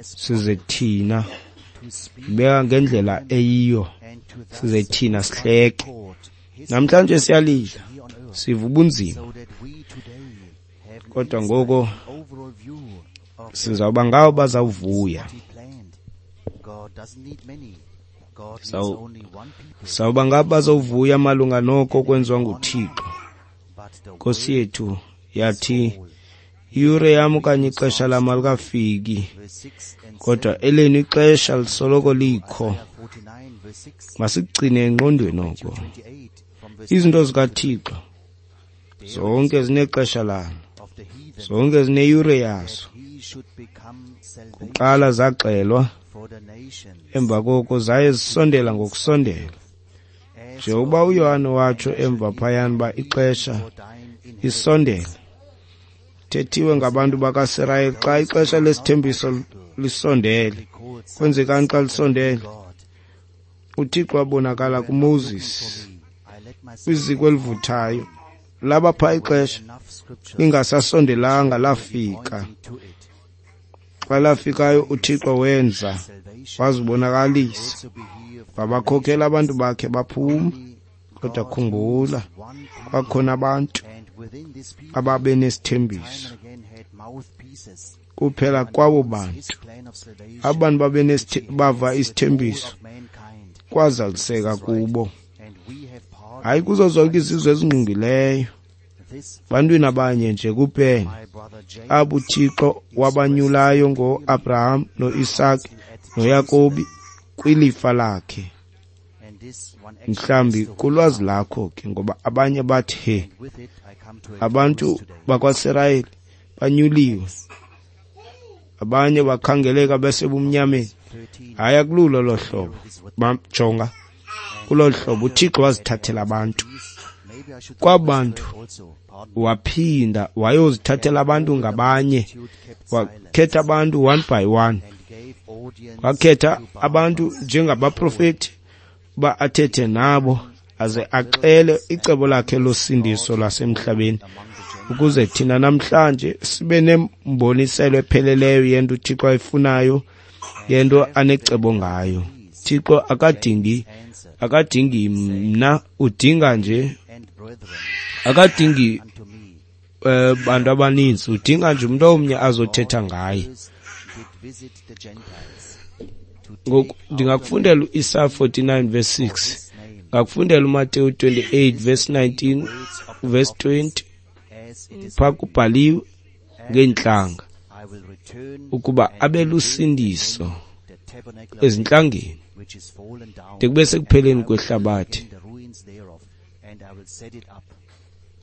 size thina beka ngendlela eyiyo, size thina sihleke. Namhlanje siyalila, siva ubunzima, kodwa ngoko sizawuba ngawo bazawuvuya. Sawuba ngabo bazawuvuya malunga noko kwenziwa nguThixo. Nkosi yethu yathi, iyure yam okanye ixesha lam alikafiki, kodwa elenu ixesha lisoloko likho. Masigcine engqondweni oko. Izinto zikaThixo zonke zinexesha lalo, zonke zineyure yazo. Kuqala zaxelwa, emva koko zaye zisondela ngokusondela. Njengokuba uYohane watsho emva phayana uba ixesha isondele, Thethiwe ngabantu bakaSirayeli xa ixesha lesithembiso lisondele. Kwenzekani xa lisondele? UThixo wabonakala kuMoses kwiziko elivuthayo. Laba phaa ixesha lingasasondelanga lafika. Xa lafikayo uThixo wenza, wazibonakalisa, wabakhokela abantu bakhe baphuma. Kodwa khumbula, kwakhona abantu ababenesithembiso. Kuphela kwabo bantu, abantu bava isithembiso kwazaliseka kubo. Hayi kuzo zonke izizwe ezingqungileyo, bantwini abanye nje kuphela, abo uThixo wabanyulayo ngoAbraham noIsake noYakobi kwilifa lakhe. Mhlawumbi kulwazi lakho ke, ngoba abanye bathi he, abantu bakwaSirayeli banyuliwe, abanye bakhangeleka besebumnyameni. Hayi, akululo lo hlobo. Jonga kulolu hlobo uThixo wazithathela abantu. Kwabantu waphinda wayozithathela abantu ngabanye, wakhetha abantu one by one, wakhetha abantu njengabaprofeti uba athethe nabo aze axele icebo lakhe losindiso lwasemhlabeni, ukuze thina namhlanje sibe nemboniselo epheleleyo yento uThixo ayifunayo, yento anecebo ngayo. Thixo akadingi mna, udinga nje, akadingi bantu abaninzi, udinga nje umuntu omnye azothetha ngaye. Ngoku ndingakufundela uIsaya 49 verse 6, ngakufundela uMateyu 28 verse 19 verse 20. Phaa kubhaliwe ngeentlanga ukuba abe lusindiso ezintlangeni de kube sekupheleni kwehlabathi.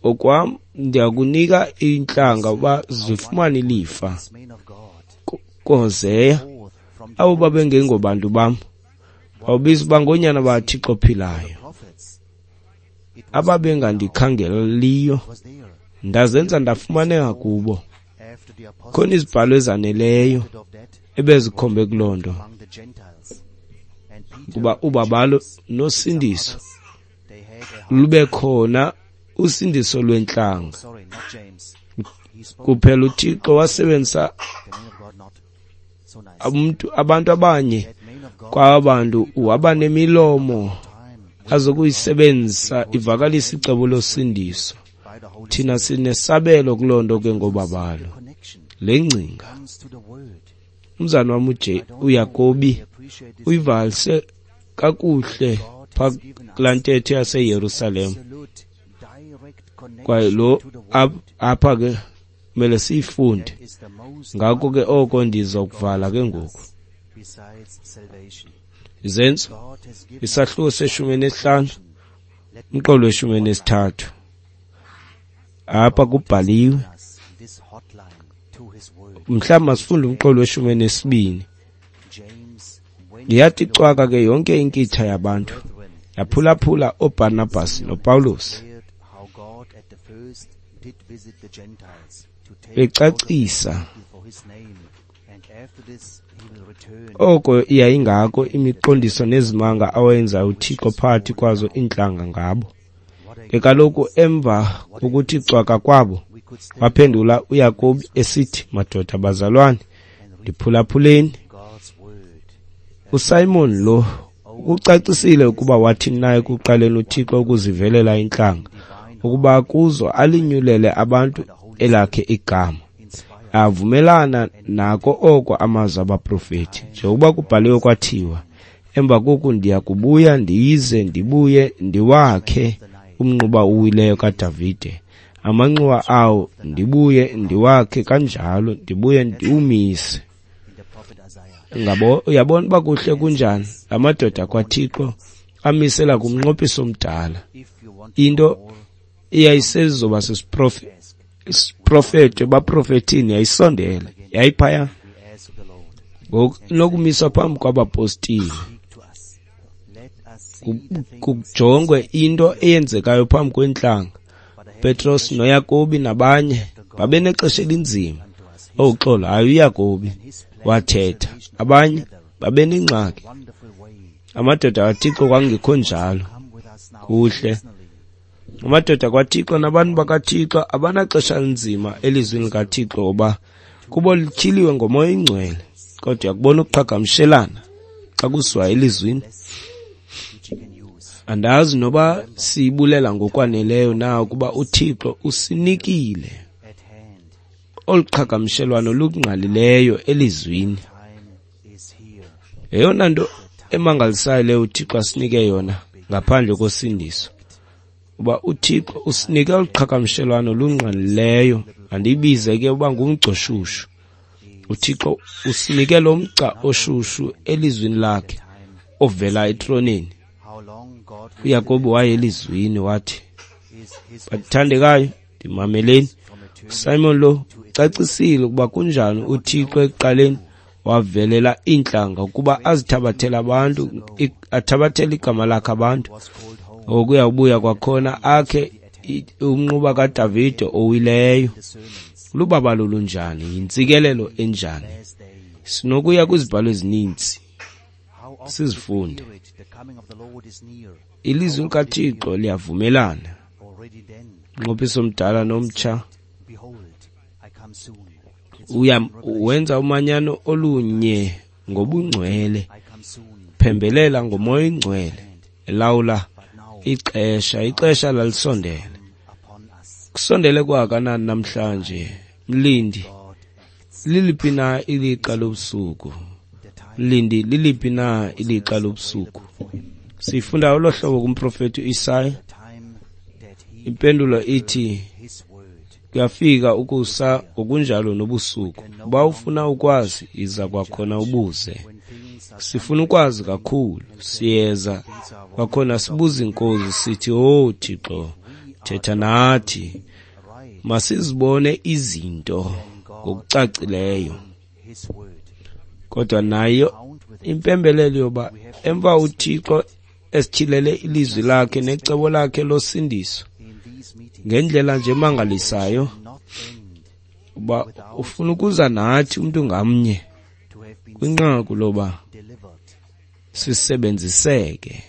Okwam ndiyakunika iintlanga uba zifumane ilifa. KuHoseya, abo babengengobantu bam bawubiza uba ngoonyana bakaThixo ophilayo, ababengandikhangeliyo ndazenza ndafumaneka kubo. Khona izibhalo ezaneleyo ebezikhombe kuloo nto, kuba ubabalo nosindiso lube khona, usindiso lwentlanga. Kuphela uThixo wasebenzisa abantu abanye kwaba bantu, waba nemilomo azokuyisebenzisa ivakalisa icebo losindiso. Thina sinesabelo kuloo nto ke ngobabalo. Le ngcinga umzana wam uYakobi uyivalise kakuhle phaa kulaa ntetho yaseYerusalem, kwaye lo apha ke kumele siyifunde. Ngako ke oko ndizokuvala ke ngoku. Izenzo isahluko se-15 umqolo we-13. Apha kubhaliwe, mhlawumbi masifunde umqolo we-12. Yathi cwaka ke yonke inkitha yabantu, yaphulaphula oBarnabas noPawulos becacisa oko yayingako imiqondiso nezimanga awayenzayo uThixo phakathi kwazo iintlanga ngabo. Ke kaloku emva kokuthi cwaka kwabo, waphendula uYakobi esithi, madoda bazalwane, ndiphulaphuleni. uSimon lo ukucacisile ukuba wathini na ekuqaleni uThixo ukuzivelela intlanga, ukuba kuzo alinyulele abantu elakhe igama. Avumelana nako oko amazwi abaprofeti, njengokuba kubhaliwe kwathiwa, emva koku ndiya kubuya ndize ndibuye ndiwakhe umnquba uwileyo kaDavide, amanxuwa awo ndibuye ndiwakhe kanjalo, ndibuye ndiwumise. Uyabona uba kuhle kunjani la madoda kwaThixo amisela kumnqophiso omdala into eyayisezoba sisiprofeto ebaprofethini, yayisondele, yayiphaya ngoku inokumiswa phambi kwabapostile, kujongwe into eyenzekayo phambi kwentlanga. Petros noYakobi nabanye Babenexesha elinzima. Oxolo, hayi uYakobi wathetha. Abanye babenengxaki. Amadoda kaThixo kwangekho njalo. Kuhle. Amadoda kwaThixo nabantu bakaThixo abanaxesha linzima elizwini likaThixo ngoba kubo lityhiliwe ngoMoya oyiNgcwele. Kodwa uyakubona ukuqhagamshelana xa kusiwa elizwini. Andazi noba siyibulela ngokwaneleyo na ukuba uThixo usinikile olu qhagamshelwano lungqalileyo elizwini. Yeyona nto emangalisayo leyo uThixo asinike yona ngaphandle kosindiso, uba uThixo usinike olu qhagamshelwano lungqalileyo. Andiyibize ke uba ngumgca oshushu. uThixo usinike lo mgca oshushu elizwini lakhe ovela etroneni. uYakobi waye elizwini wathi, bathandekayo, ndimameleni. Simon lo ucacisile ukuba kunjani uThixo ekuqaleni wavelela iintlanga ukuba azithabathele abantu, athabathele igama lakhe abantu. Okuya ubuya kwakhona akhe umnquba kaDavide owileyo. Lubabalo lunjani, yintsikelelo enjani. Sinokuya kwizibhalo ezininzi sizifunde. Ilizwi likaThixo liyavumelana. Umnqophiso omdala nomtsha wenza umanyano olunye ngobungcwele, phembelela ngoMoya oyiNgcwele, elawula ixesha. Ixesha lalisondele. Kusondele kwakanani namhlanje, mlindi? Liliphi na ilixa lobusuku? Mlindi, liliphi na ilixa lobusuku? Sifunda olo hlobo kumprofeti uIsaya. Impendulo ithi kuyafika ukusa ngokunjalo nobusuku. Uba ufuna ukwazi, iza kwakhona ubuze. Sifuna ukwazi kakhulu, siyeza kwakhona sibuze inkosi sithi, "Oh Thixo, thetha nathi." Masizibone izinto ngokucacileyo. Kodwa nayo impembelelo yoba emva uThixo esityhilele ilizwi lakhe necebo lakhe losindiso ngendlela nje emangalisayo, uba ufuna ukuza nathi umntu ngamnye kwinqaku loba sisebenziseke,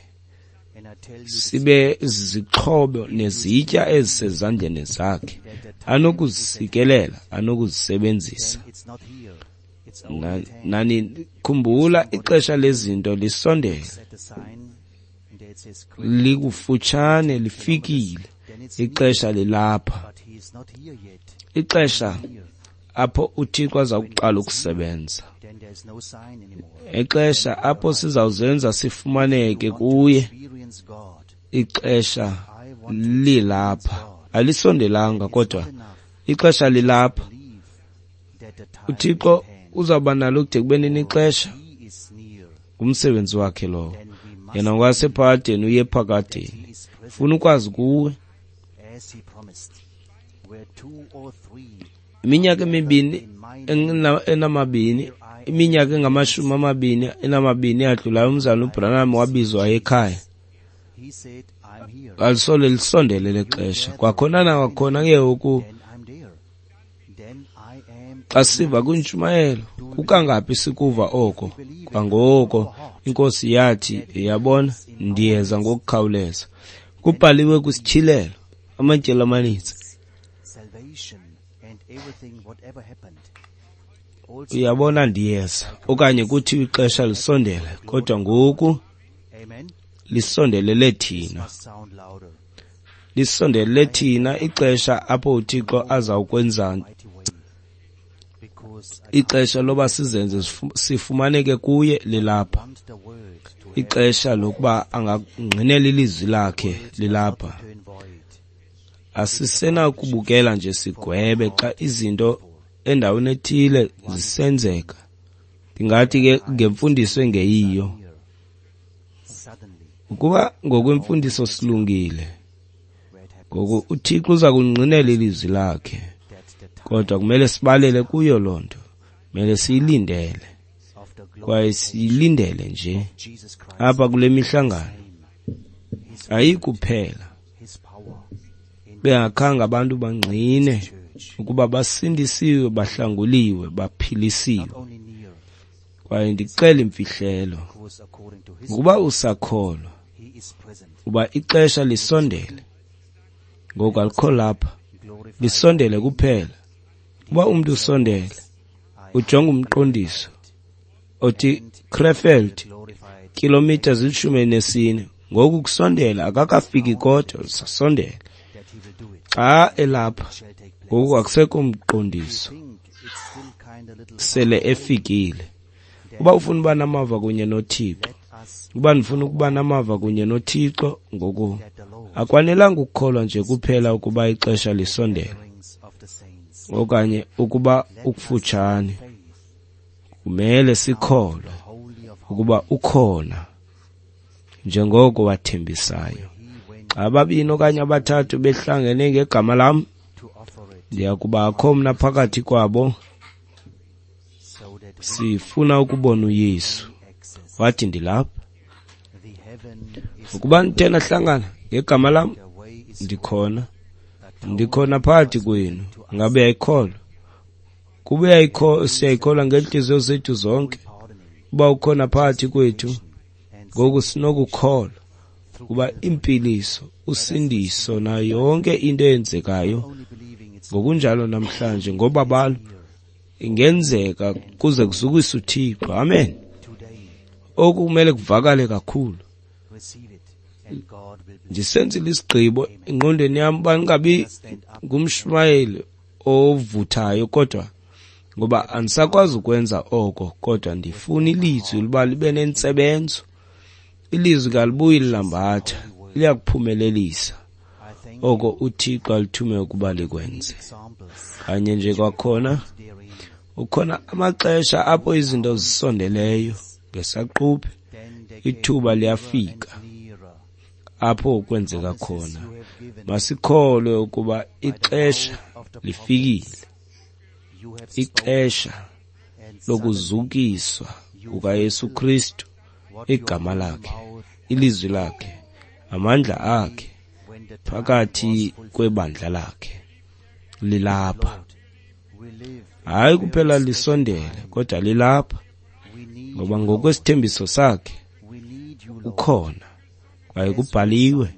sibe zixhobo nezitya ezisezandleni zakhe, anokuzisikelela, anokuzisebenzisa. Nani khumbula ixesha lezinto lisondele, likufutshane, lifikile. Ixesha lilapha, ixesha apho uThixo aza kuqala ukusebenza, ixesha apho sizawuzenza sifumaneke kuye. Ixesha lilapha, alisondelanga, kodwa ixesha lilapha. uThixo uzawuba nalo kude kube nini ixesha? Ngumsebenzi wakhe lowo. Yena ngokwasephakadeni uye ephakadeni. Funa ukwazi kuwe. Iminyaka emibini enamabini, iminyaka engamashumi amabini enamabini yadlulayo, umzalwana uBranham wabizwa ekhaya. Alisole lisondele lexesha. Kwakhona nakwakhona ke ngoku xa siva kwintshumayelo, kukangaphi sikuva oko? Kwangoko inkosi yathi, yabona, ndiyeza ngokukhawuleza. Kubhaliwe kwisityhilelo amatyeli amaninzi. Uyabona, ndiyeza, okanye kuthi ixesha lisondele, kodwa ngoku lisondelele thina. Lisondelele thina ixesha apho uThixo azawukwenza, ixesha loba sizenze sifumaneke kuye lilapha. Ixesha lokuba angangqinela ilizwi lakhe lilapha. Asisenakubukela nje sigwebe xa izinto endaweni ethile zisenzeka. Ndingathi ke ngemfundiso engeyiyo. Ukuba ngokwemfundiso silungile, ngoku uThixo uza kungqinela ilizwi lakhe. Kodwa kumele sibalele kuyo loo nto, kumele siyilindele, kwaye siyilindele nje apha kule mihlangano. Ayikuphela bengakhange abantu bangqine ukuba basindisiwe, bahlanguliwe, baphilisiwe. Kwaye ndicela imfihlelo, ngokuba usakholwa uba ixesha lisondele, ngoku alikho lapha, lisondele kuphela. Uba umntu usondele, ujonga umqondiso othi Krefeld, kilomitha zili-14. Ngoku kusondela, akakafiki kodwa usasondela. Xa elapha, ngoku akusekho mqondiso, sele efikile. Uba ufuna uba namava kunye noThixo, uba ndifuna ukuba namava kunye noThixo, ngoku akwanelanga ukukholwa nje kuphela ukuba ixesha lisondele okanye ukuba ukufutshane. Kumele sikholwe ukuba ukhona njengoko wathembisayo. Xa ababini okanye abathathu behlangene ngegama lam, ndiya kubakho mna phakathi kwabo. Sifuna ukubona uYesu. Wathi, ndilapha. Ukuba nithe nahlangana ngegama lam, ndikhona. Ndikhona phakathi kwenu. Ngabe uyayikholwa? Kuba siyayikholwa ngeentliziyo zethu zonke uba ukhona phakathi kwethu. Ngoku sinokukholwa kuba impiliso, usindiso nayo yonke into eyenzekayo ngokunjalo namhlanje ngobabalo ingenzeka kuze kuzukiswe uThixo. Amen. Oku kumele kuvakale kakhulu. Ndisenzile isigqibo engqondweni yam uba ndingabi ngumshumayeli ovuthayo, kodwa ngoba andisakwazi ukwenza oko, kodwa ndifuna ilizwi luba libe nentsebenzo. Ilizwi kalibuyi lilambatha, liyakuphumelelisa oko uThixo alithume ukuba likwenze. Kanye nje kwakhona, ukhona amaxesha apho izinto zisondeleyo ngesaquphe, ithuba liyafika apho kwenzeka khona. Masikholwe ukuba ixesha lifikile, ixesha lokuzukiswa kukaYesu Kristu, igama lakhe, ilizwi lakhe, amandla akhe phakathi kwebandla lakhe lilapha. Hayi kuphela lisondele, kodwa lilapha, ngoba ngokwesithembiso sakhe ukhona, kwaye kubhaliwe.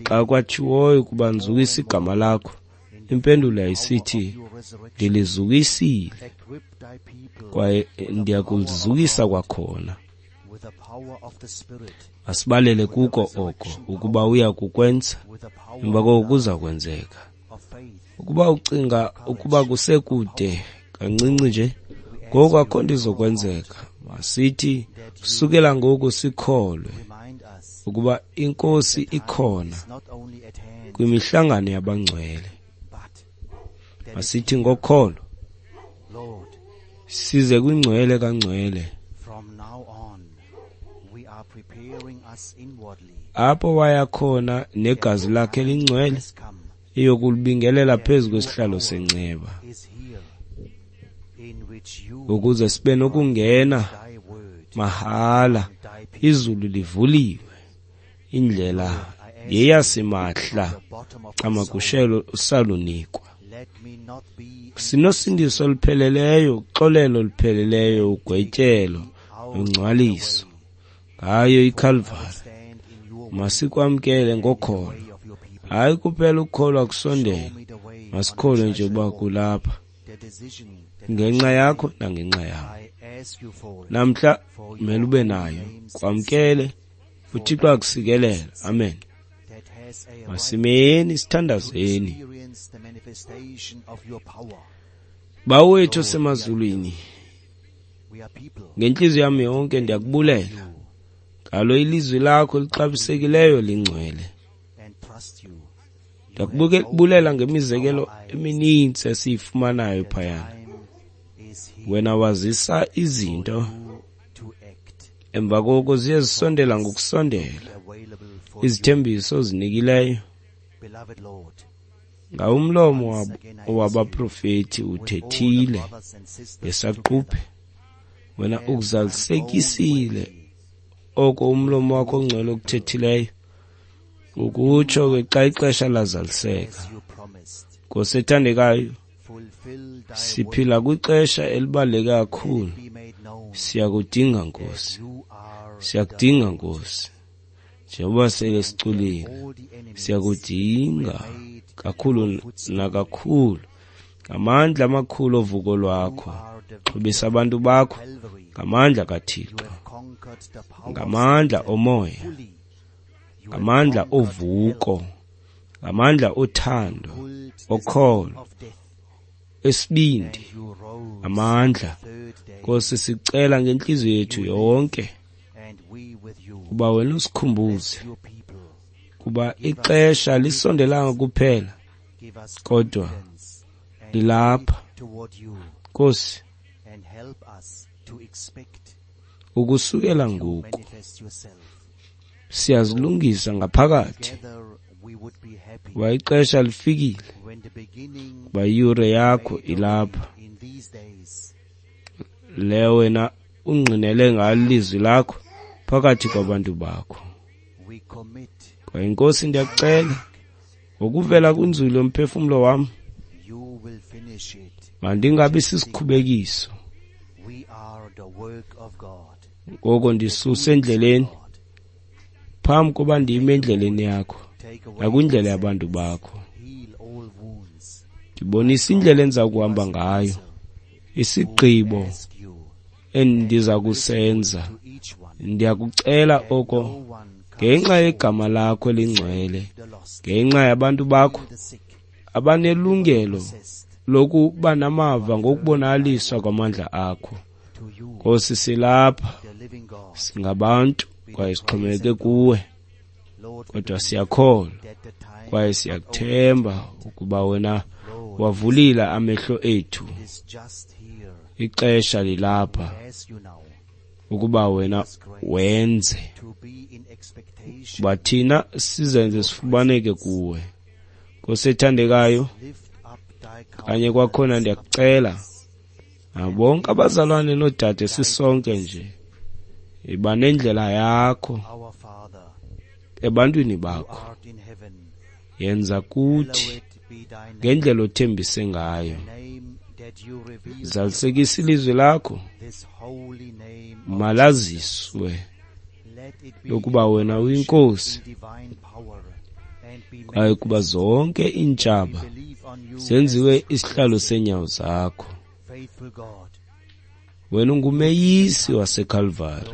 Xa kwatshiwoyo ukuba ndizukise igama lakho, impendulo yayisithi, ndilizukisile kwaye ndiyakulizukisa kwakhona. Masibalele kuko oko ukuba uya kukwenza, emva koko kuza kwenzeka. Ukuba ucinga ukuba kusekude kancinci nje, ngoku akho nto izokwenzeka. Masithi sukela ngoku sikholwe ukuba iNkosi ikhona kwimihlangano yabangcwele. Masithi ngokholo size kwingcwele kangcwele, apho waya khona negazi lakhe lingcwele iyokulibingelela phezu kwesihlalo senceba, ukuze sibe nokungena mahala. Izulu livuliwe, indlela yeyasimahla, camagushelo usalunikwa. Sinosindiso olupheleleyo, uxolelo olupheleleyo, ugwetyelo nongcwaliso ngayo iKalvari. Masikwamkele ngokholo. Hayi kuphela ukukholwa kusondele, masikholwe nje uba kulapha ngenxa yakho nangenxa yam. Namhla kumele ube nayo, kwamkele, uThixo akusikelele. Amen. Masimeni sithandazeni. Bawo wethu osemazulwini, ngentliziyo yam yonke ndiyakubulela ngalo ilizwi lakho lixabisekileyo lingcwele. Ndiyakubulela ngemizekelo emininzi esiyifumanayo phayana. Wena wazisa izinto, emva koko ziye zisondela ngokusondela izithembiso ozinikileyo. Ngawumlomo wabaprofeti uthethile ngesaquphe, wena ukuzalisekisile oko umlomo wakho ongcwele okuthethileyo, ukutsho ke xa ixesha lazaliseka. Nkosi ethandekayo, siphila kwixesha elibaluleke kakhulu. Siyakudinga Nkosi, siyakudinga Nkosi, njengoba sele siculile, siyakudinga kakhulu nakakhulu ngamandla amakhulu ovuko lwakho. Xhobisa abantu bakho ngamandla kaThixo, ngamandla omoya, ngamandla ovuko, ngamandla othando, okholo, esibindi, amandla. Nkosi, sicela ngenhliziyo yethu yonke kuba wena usikhumbuze kuba ixesha lisondelanga kuphela, kodwa lilapha. Nkosi, ukusukela ngoku siyazilungisa ngaphakathi kuba ixesha lifikile, kuba iyure yakho ilapha, le wena ungqinele ngalo ilizwi lakho phakathi kwabantu bakho. Kwaye Nkosi, ndiyakucela ngokuvela kwinzulu yomphefumlo wam, mandingabi sisikhubekiso. Ngoko ndisuse endleleni phambi koba ndime endleleni yakho nakwindlela yabantu bakho. Ndibonise indlela endiza kuhamba ngayo, isigqibo endiza kusenza. Ndiyakucela oko ngenxa yegama lakho elingcwele, ngenxa yabantu bakho abanelungelo lokuba namava ngokubonakaliswa kwamandla akho. Nkosi, silapha singabantu kwaye sixhomekeke kuwe, kodwa siyakholwa kwaye siyakuthemba ukuba wena wavulile amehlo ethu. Ixesha lilapha ukuba wena wenze kuba thina sizenze sifumaneke kuwe. Nkosi ethandekayo, kanye kwakhona ndiyakucela bonke abazalwane noodade sisonke nje, iba nendlela yakho ebantwini bakho, yenza kuthi ngendlela othembise ngayo. Zalisekisa ilizwi lakho, malaziswe lokuba wena uyinkosi, kwaye kuba zonke iintshaba zenziwe isihlalo seenyawo zakho. Wena ungumeyisi waseKalvari,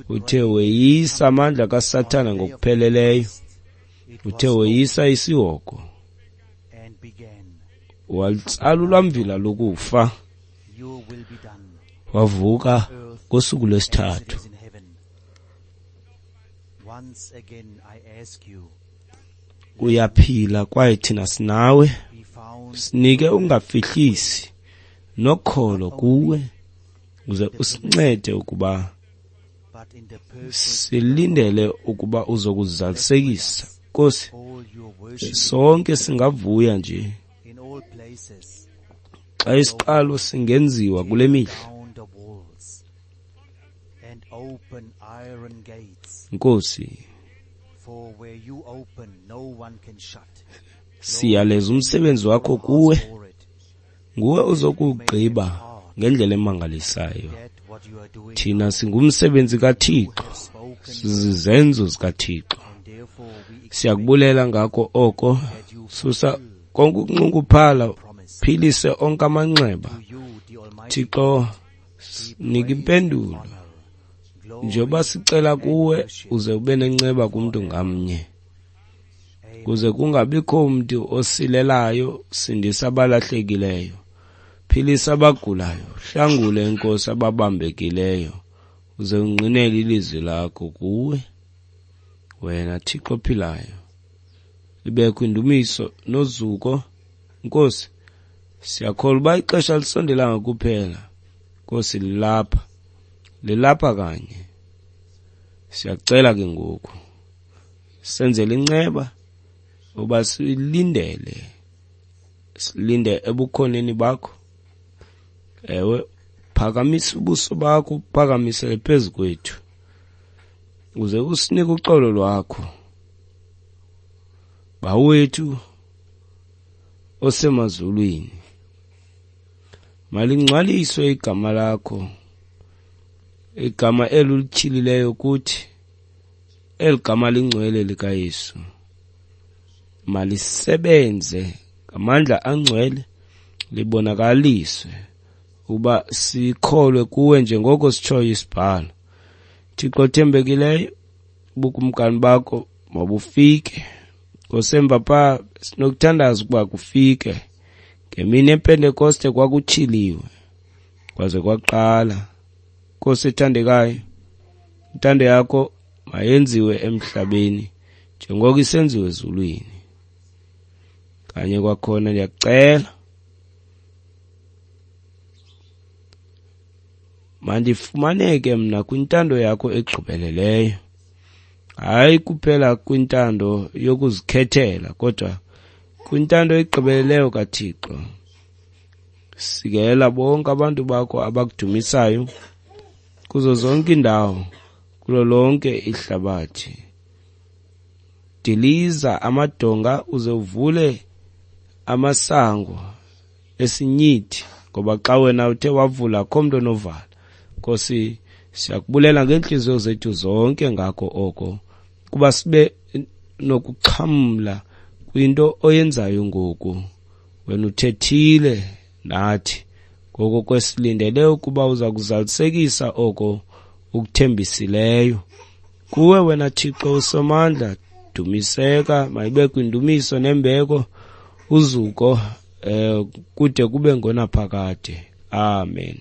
uthe weyisa amandla kaSathana ngokupheleleyo, uthe weyisa isihogo, walitsala ulwamvila lokufa, wavuka ngosuku lwesithathu. Uyaphila kwaye thina sinawe. Sinike ungafihlisi nokholo kuwe, uze usincede ukuba silindele ukuba uzokuzalisekisa. Nkosi, sonke singavuya nje xa isiqalo singenziwa kule mihla. Nkosi, siyaleza umsebenzi wakho kuwe, nguwe ozokuwugqiba ngendlela emangalisayo. Thina singumsebenzi kaThixo, sizizenzo zikaThixo. Siyakubulela ngako oko. Susa konke ukunxunguphala, philise onke amanxeba. Thixo, nika impendulo njengoba sicela kuwe, uze ube nenceba kumntu ngamnye, kuze kungabikho mntu osilelayo. Sindisa abalahlekileyo, philisa abagulayo, hlangule Nkosi ababambekileyo, uze ungqinele ilizwi lakho kuwe wena Thixo ophilayo. Libekho indumiso nozuko. Nkosi, siyakholwa uba ixesha lisondelanga kuphela. Nkosi, lilapha, lilapha kanye. Siyacela ke ngoku senzele inceba uba silindele, silinde ebukhoneni bakho. Ewe, phakamisa ubuso bakho, uphakamisele phezu kwethu, uze usinike uxolo lwakho. Bawethu, osemazulwini, malingcwaliswe igama lakho, igama elo ulityhilileyo kuthi, eli gama lingcwele likaYesu. Malisebenze ngamandla angcwele, libonakaliswe ukuba sikholwe kuwe njengoko sitshoyo isibhalo. Thixo othembekileyo, ubukumkani bakho mabufike. Nkosi, pha sinokuthandaza ukuba kufike. Ngemini yePentekoste kwakutyhiliwe kwaze kwaqala. Nkosi ethandekayo, intando yakho mayenziwe emhlabeni njengoko isenziwe ezulwini. Kanye kwakhona ndiyakucela, mandifumaneke mna kwintando yakho egqibeleleyo, hayi kuphela kwintando yokuzikhethela, kodwa kwintando egqibeleleyo kaThixo. Sikelela bonke abantu bakho abakudumisayo kuzo zonke iindawo, kulo lonke ihlabathi. Diliza amadonga uze uvule amasango esinyithi, ngoba xa wena uthe wavula akho mntu onovala. Nkosi, siyakubulela ngeentliziyo zethu zonke ngako oko, kuba sibe nokuxhamla kwinto oyenzayo ngoku. Wena uthethile nathi, ngoko kwesilindele ukuba uza kuzalisekisa oko ukuthembisileyo. Kuwe wena Thixo usomandla, dumiseka, mayibe kwindumiso nembeko, uzuko kude kube ngonaphakade. Amen.